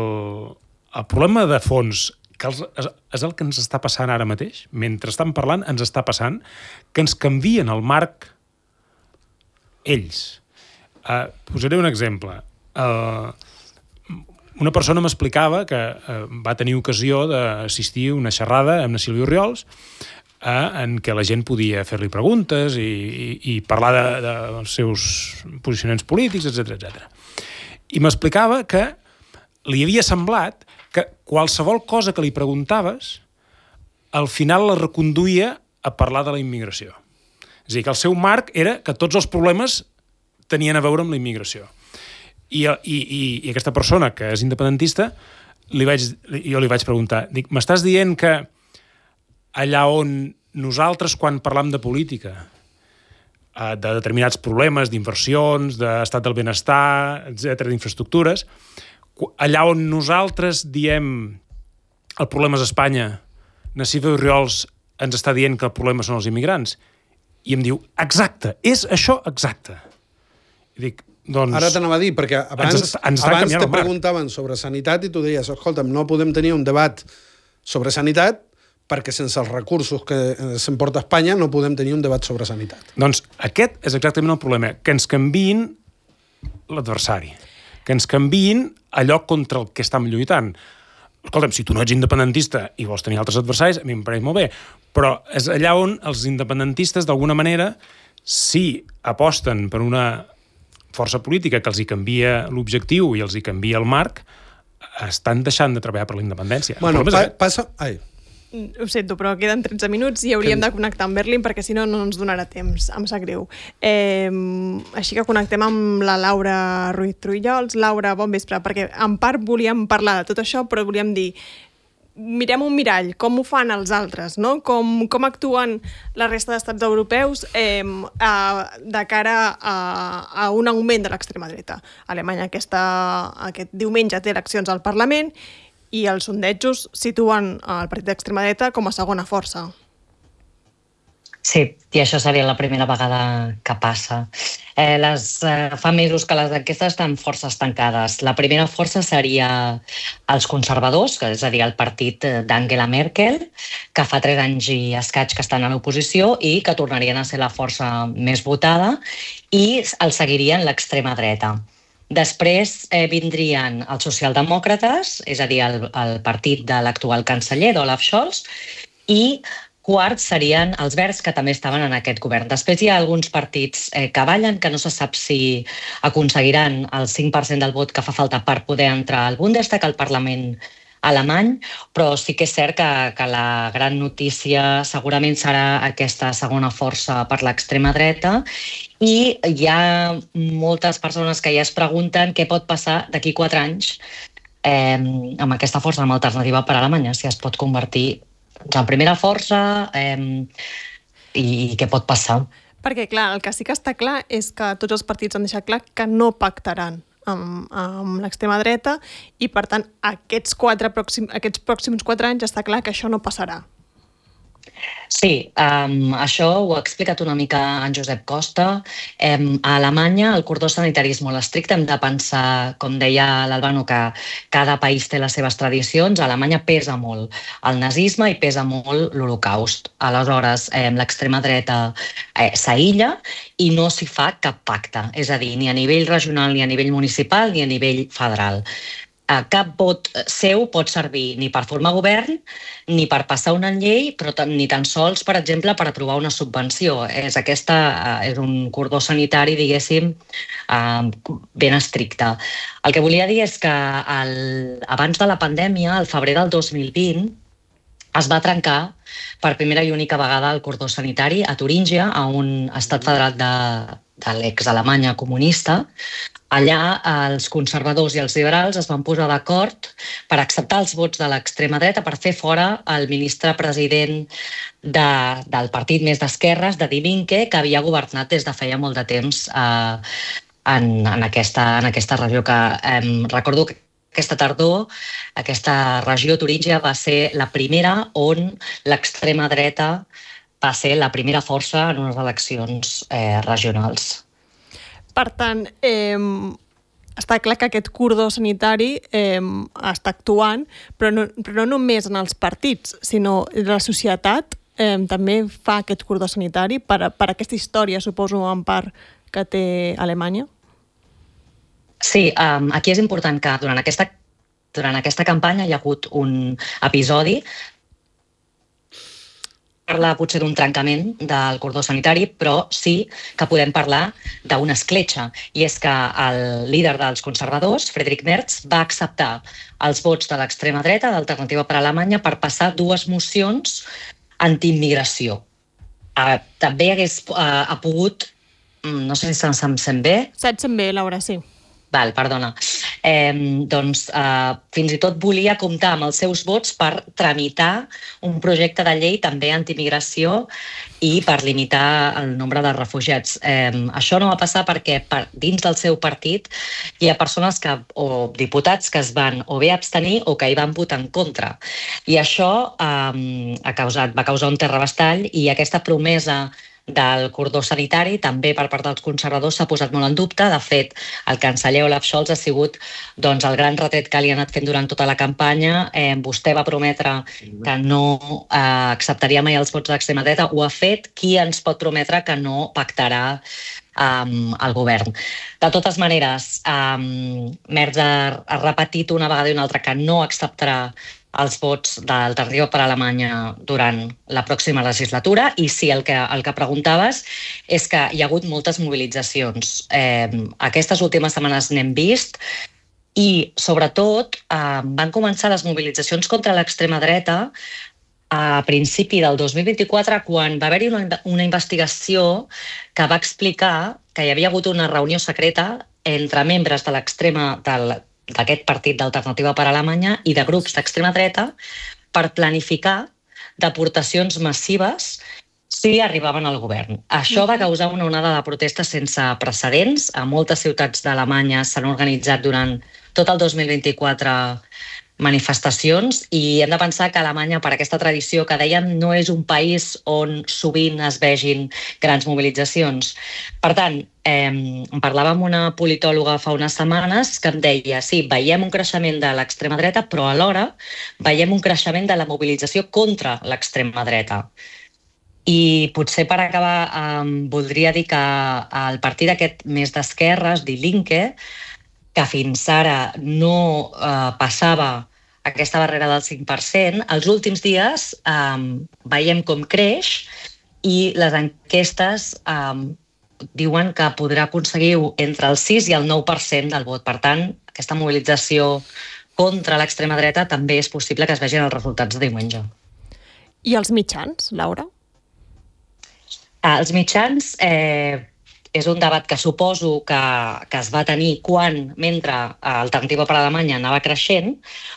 el problema de fons, que els, és, és el que ens està passant ara mateix, mentre estan parlant, ens està passant, que ens canvien el marc ells. Uh, posaré un exemple. Uh, una persona m'explicava que uh, va tenir ocasió d'assistir a una xerrada amb la Sílvia Orriols, en què la gent podia fer-li preguntes i, i, i parlar de, de, dels seus posicionaments polítics, etcètera, etcètera. I m'explicava que li havia semblat que qualsevol cosa que li preguntaves al final la reconduïa a parlar de la immigració. És a dir, que el seu marc era que tots els problemes tenien a veure amb la immigració. I, i, i, i aquesta persona, que és independentista, li vaig, jo li vaig preguntar, dic, m'estàs dient que allà on nosaltres, quan parlam de política, de determinats problemes, d'inversions, d'estat del benestar, etcètera, d'infraestructures, allà on nosaltres diem el problema és Espanya, na Sílvia Orriols ens està dient que el problema són els immigrants, i em diu, exacte, és això exacte. I dic, doncs... Ara t'anava a dir, perquè abans, ens, ens abans te preguntaven sobre sanitat i tu deies, escolta'm, no podem tenir un debat sobre sanitat perquè sense els recursos que s'emporta a Espanya no podem tenir un debat sobre sanitat. Doncs aquest és exactament el problema, que ens canviïn l'adversari, que ens canviïn allò contra el que estem lluitant. Escolta'm, si tu no ets independentista i vols tenir altres adversaris, a mi em pareix molt bé, però és allà on els independentistes, d'alguna manera, si aposten per una força política que els hi canvia l'objectiu i els hi canvia el marc, estan deixant de treballar per la independència. Bueno, pa passa... Ai. Ho sento, però queden tretze minuts i hauríem de connectar amb Berlín perquè si no no ens donarà temps, em sap greu. Eh, així que connectem amb la Laura Ruiz Trullols. Laura, bon vespre, perquè en part volíem parlar de tot això, però volíem dir, mirem un mirall, com ho fan els altres, no? Com, com actuen la resta d'estats europeus eh, a, de cara a, a un augment de l'extrema dreta. Alemanya aquesta, aquest diumenge té eleccions al Parlament i els sondejos situen el partit d'extrema dreta com a segona força. Sí, i això seria la primera vegada que passa. Eh, les, eh, fa mesos que les enquestes estan força estancades. La primera força seria els conservadors, que és a dir, el partit d'Angela Merkel, que fa tres anys i escaig que estan a l'oposició i que tornarien a ser la força més votada, i el seguirien l'extrema dreta. Després eh, vindrien els socialdemòcrates, és a dir, el, el partit de l'actual canceller, d'Olaf Scholz, i quart serien els verds, que també estaven en aquest govern. Després hi ha alguns partits eh, que ballen, que no se sap si aconseguiran el cinc per cent del vot que fa falta per poder entrar al Bundestag, al Parlament alemany, però sí que és cert que, que la gran notícia segurament serà aquesta segona força per l'extrema dreta, i hi ha moltes persones que ja es pregunten què pot passar d'aquí quatre anys eh, amb aquesta força, amb alternativa per a Alemanya, si es pot convertir en primera força eh, i, i què pot passar. Perquè, clar, el que sí que està clar és que tots els partits han deixat clar que no pactaran amb, amb l'extrema dreta i, per tant, aquests, quatre pròxim, aquests pròxims quatre anys està clar que això no passarà. Sí, um, això ho ha explicat una mica en Josep Costa. Um, a Alemanya el cordó sanitari és molt estricte, hem de pensar, com deia l'Albano, que cada país té les seves tradicions. A Alemanya pesa molt el nazisme i pesa molt l'Holocaust. Aleshores, um, l'extrema dreta eh, s'aïlla i no s'hi fa cap pacte, és a dir, ni a nivell regional, ni a nivell municipal, ni a nivell federal. Cap vot seu pot servir ni per formar govern, ni per passar una llei, però ni tan sols, per exemple, per aprovar una subvenció. És, aquesta, és un cordó sanitari, diguéssim, ben estricte. El que volia dir és que el, abans de la pandèmia, al febrer del dos mil vint, es va trencar per primera i única vegada el cordó sanitari a Turíngia, a un estat federat de, de l'ex-Alemanya comunista. Allà els conservadors i els liberals es van posar d'acord per acceptar els vots de l'extrema dreta per fer fora el ministre president de, del partit més d'esquerres, de Die Linke, que havia governat des de feia molt de temps eh, en, en, aquesta, en aquesta regió. Que eh, recordo que aquesta tardor, aquesta regió Turíngia va ser la primera on l'extrema dreta va ser la primera força en unes eleccions eh, regionals. Per tant, eh, està clar que aquest cordó sanitari eh, està actuant, però no, però no només en els partits, sinó la societat eh, també fa aquest cordó sanitari per, per aquesta història, suposo, en part, que té Alemanya. Sí, um, aquí és important que durant aquesta, durant aquesta campanya hi ha hagut un episodi parlar potser d'un trencament del cordó sanitari, però sí que podem parlar d'una escletxa. I és que el líder dels conservadors, Friedrich Merz, va acceptar els vots de l'extrema dreta, d'Alternativa per Alemanya, per passar dues mocions antiimmigració. Uh, també hagués uh, ha pogut, no sé si se'm sent bé. Se't sent bé, Laura, sí. Val, perdona. Eh, doncs eh, fins i tot volia comptar amb els seus vots per tramitar un projecte de llei també anti-immigració i per limitar el nombre de refugiats. Eh, això no va passar perquè per, dins del seu partit hi ha persones que, o diputats que es van o bé abstenir o que hi van votar en contra. I això eh, ha causat, va causar un terrabastall i aquesta promesa del cordó sanitari, també per part dels conservadors, s'ha posat molt en dubte. De fet, el canceller Olaf Scholz ha sigut doncs, el gran retret que li ha anat fent durant tota la campanya. Eh, vostè va prometre que no eh, acceptaria mai els vots de l'extrema dreta. Ho ha fet. Qui ens pot prometre que no pactarà um, el govern? De totes maneres, um, Merz ha, ha repetit una vegada i una altra que no acceptarà els vots d'Alternativa per Alemanya durant la pròxima legislatura. I sí, el que, el que preguntaves és que hi ha hagut moltes mobilitzacions. Eh, aquestes últimes setmanes n'hem vist i, sobretot, eh, van començar les mobilitzacions contra l'extrema dreta a principi del dos mil vint-i-quatre, quan va haver-hi una, una investigació que va explicar que hi havia hagut una reunió secreta entre membres de l'extrema del d'aquest partit d'Alternativa per Alemanya i de grups d'extrema dreta per planificar deportacions massives si arribaven al govern. Això va causar una onada de protestes sense precedents. A moltes ciutats d'Alemanya s'han organitzat durant tot el dos mil vint-i-quatre manifestacions i hem de pensar que Alemanya, per aquesta tradició que dèiem, no és un país on sovint es vegin grans mobilitzacions. Per tant, eh, em parlava amb una politòloga fa unes setmanes que em deia sí, veiem un creixement de l'extrema dreta, però alhora veiem un creixement de la mobilització contra l'extrema dreta. I potser per acabar eh, voldria dir que el partit aquest més d'esquerres, Die Linke, que fins ara no eh, passava aquesta barrera del cinc per cent, els últims dies eh, veiem com creix i les enquestes eh, diuen que podrà aconseguir entre el sis i el nou per cent del vot. Per tant, aquesta mobilització contra l'extrema dreta també és possible que es vegin els resultats de diumenge. I els mitjans, Laura? Eh, els mitjans... Eh, és un debat que suposo que, que es va tenir quan, mentre Alternativa per Alemanya anava creixent,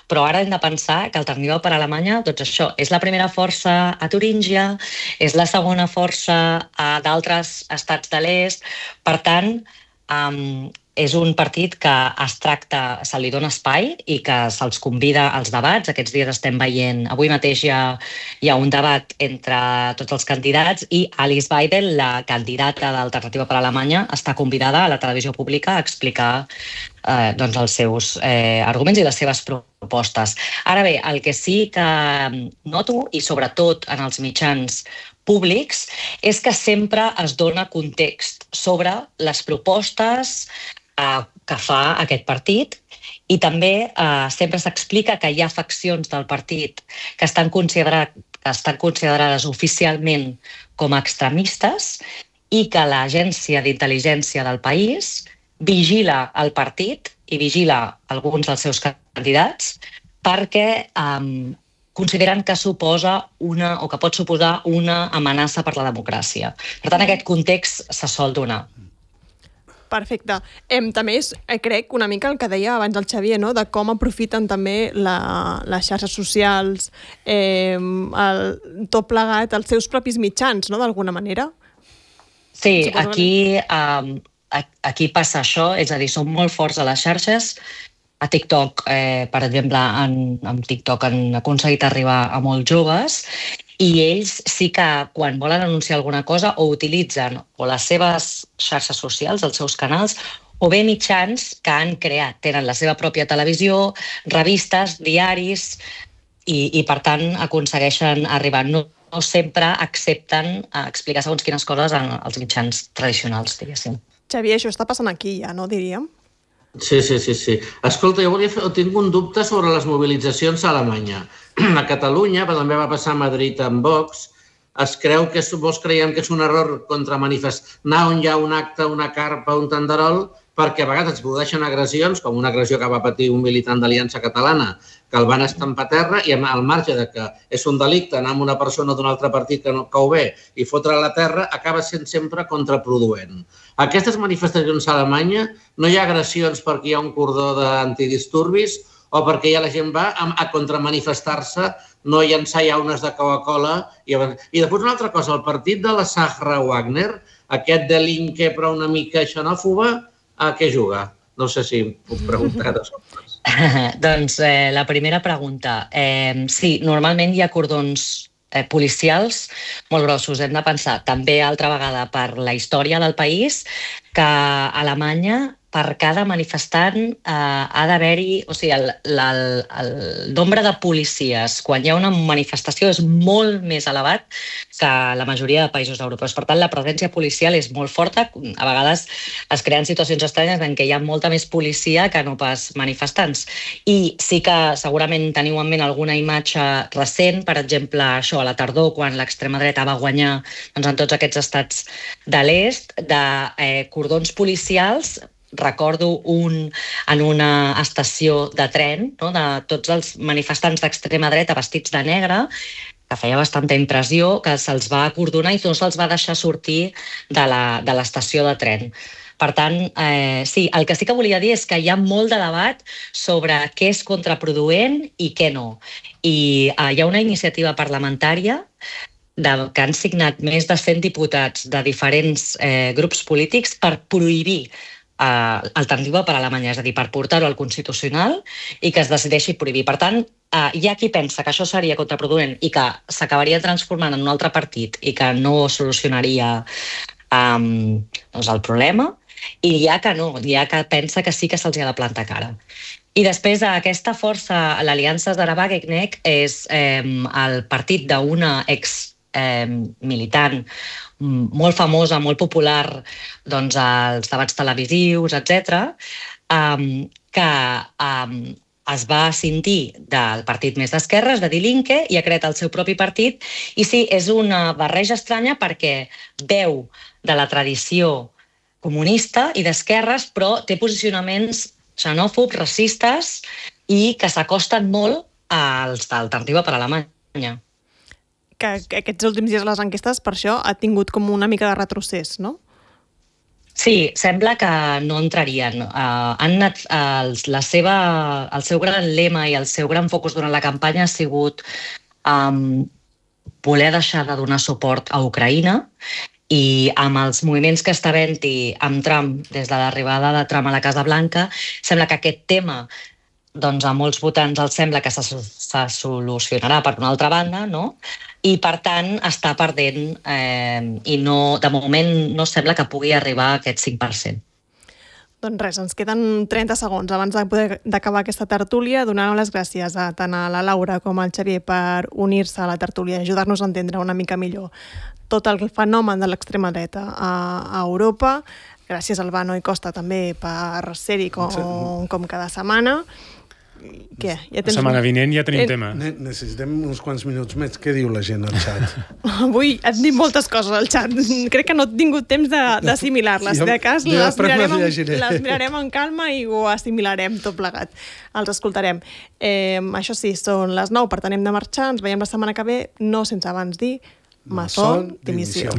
però ara hem de pensar que Alternativa per Alemanya, doncs això, és la primera força a Turíngia, és la segona força a d'altres estats de l'est, per tant, um, és un partit que es tracta, se li dona espai i que se'ls convida als debats. Aquests dies estem veient, avui mateix hi ha, hi ha un debat entre tots els candidats i Alice Weidel, la candidata d'Alternativa per Alemanya, està convidada a la televisió pública a explicar eh, doncs els seus eh, arguments i les seves propostes. Ara bé, el que sí que noto, i sobretot en els mitjans públics, és que sempre es dona context sobre les propostes eh, que fa aquest partit i també eh, sempre s'explica que hi ha faccions del partit que estan, considerat, que estan considerades oficialment com a extremistes i que l'agència d'intel·ligència del país vigila el partit i vigila alguns dels seus candidats perquè eh, consideren que suposa una, o que pot suposar una amenaça per la democràcia. Per tant, aquest context se sol donar. Perfecte. Em, també és, eh, crec, una mica el que deia abans el Xavier, no? De com aprofiten també la, les xarxes socials, eh, el, tot plegat, els seus propis mitjans, no?, d'alguna manera. Sí, aquí, um, aquí passa això, és a dir, són molt forts a les xarxes. A TikTok, eh, per exemple, en, en TikTok han aconseguit arribar a molts joves i ells sí que quan volen anunciar alguna cosa o utilitzen o les seves xarxes socials, els seus canals, o bé mitjans que han creat. Tenen la seva pròpia televisió, revistes, diaris i, i per tant aconsegueixen arribar. No, no sempre accepten explicar segons quines coses als mitjans tradicionals, diguéssim. Xavier, això està passant aquí ja, no, diríem? Sí, sí, sí, sí. Escolta, jo volia fer, tinc un dubte sobre les mobilitzacions a Alemanya. A Catalunya, però també va passar a Madrid amb Vox, es creu que és, molts creiem que és un error contra manifestar, anar on hi ha un acte, una carpa, un tanderol, perquè a vegades es produeixen agressions, com una agressió que va patir un militant d'Aliança Catalana, que el van estampar a terra i al marge de que és un delicte anar amb una persona d'un altre partit que, no, que ho ve i fotre a la terra, acaba sent sempre contraproduent. A aquestes manifestacions a Alemanya no hi ha agressions perquè hi ha un cordó d'antidisturbis o perquè ja la gent va a, a contramanifestar-se, no llançar llaunes de Coca-Cola. I, I després una altra cosa, el partit de la Sahra Wagner, aquest delinque però una mica xenòfoba, a què juga? No sé si puc preguntar de sobres. Doncs eh, la primera pregunta. Eh, sí, normalment hi ha cordons eh, policials molt grossos. Hem de pensar també altra vegada per la història del país que a Alemanya per cada manifestant eh, ha d'haver-hi, o sigui, el, el, el nombre de policies quan hi ha una manifestació és molt més elevat que la majoria de països europeus. Per tant, la presència policial és molt forta. A vegades es creen situacions estranyes en què hi ha molta més policia que no pas manifestants. I sí que segurament teniu en ment alguna imatge recent, per exemple, això a la tardor, quan l'extrema dreta va guanyar doncs, en tots aquests estats de l'est, de eh, cordons policials. Recordo un, en una estació de tren, no?, de tots els manifestants d'extrema dreta vestits de negre, que feia bastanta impressió, que se'ls va acordonar i no se'ls va deixar sortir de l'estació de, de tren. Per tant, eh, sí, el que sí que volia dir és que hi ha molt de debat sobre què és contraproduent i què no. I eh, hi ha una iniciativa parlamentària de, que han signat més de cent diputats de diferents eh, grups polítics per prohibir Uh, alternativa per a Alemanya, és a dir, per portar-ho al Constitucional i que es decideixi prohibir. Per tant, uh, hi ha qui pensa que això seria contraproduent i que s'acabaria transformant en un altre partit i que no solucionaria um, doncs el problema, i hi ha que no, hi ha que pensa que sí que se'ls ha de plantar cara. I després aquesta força, l'Aliança Zara-Wagenknecht, és eh, el partit d'una ex eh, militant molt famosa, molt popular doncs, als debats televisius, etcètera, um, que um, es va ascindir del partit més d'esquerres, de Die Linke, i ha creat el seu propi partit. I sí, és una barreja estranya perquè beu de la tradició comunista i d'esquerres, però té posicionaments xenòfobs, racistes i que s'acosten molt als d'Alternativa per Alemanya. Que aquests últims dies les enquestes, per això, ha tingut com una mica de retrocés, no? Sí, sembla que no entrarien. Uh, han anat, uh, la seva, el seu gran lema i el seu gran focus durant la campanya ha sigut um, voler deixar de donar suport a Ucraïna, i amb els moviments que està havent-hi amb Trump, des de l'arribada de Trump a la Casa Blanca, sembla que aquest tema doncs a molts votants els sembla que se, se solucionarà per una altra banda, no? I per tant està perdent eh, i no, de moment no sembla que pugui arribar a aquest cinc per cent. Doncs res, ens queden trenta segons abans de poder d'acabar aquesta tertúlia, donant les gràcies a tant a la Laura com al Xavier per unir-se a la tertúlia i ajudar-nos a entendre una mica millor tot el fenomen de l'extrema dreta a, a Europa. Gràcies al Albano i Costa també per ser-hi com, com cada setmana. Què? Ja La setmana vinent ja tenim Eh, tema. Ne necessitem uns quants minuts més. Què diu la gent al xat? Avui et dit moltes coses al xat. Crec que no he tingut temps d'assimilar-les. Jo- De cas, jo les després mirarem, les amb, llegiré. les mirarem amb calma i ho assimilarem tot plegat. Els escoltarem. Eh, això sí, són les nou, per tant hem de marxar. Ens veiem la setmana que ve, no sense abans dir maçon dimissió.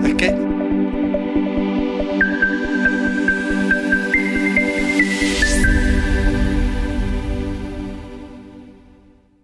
És que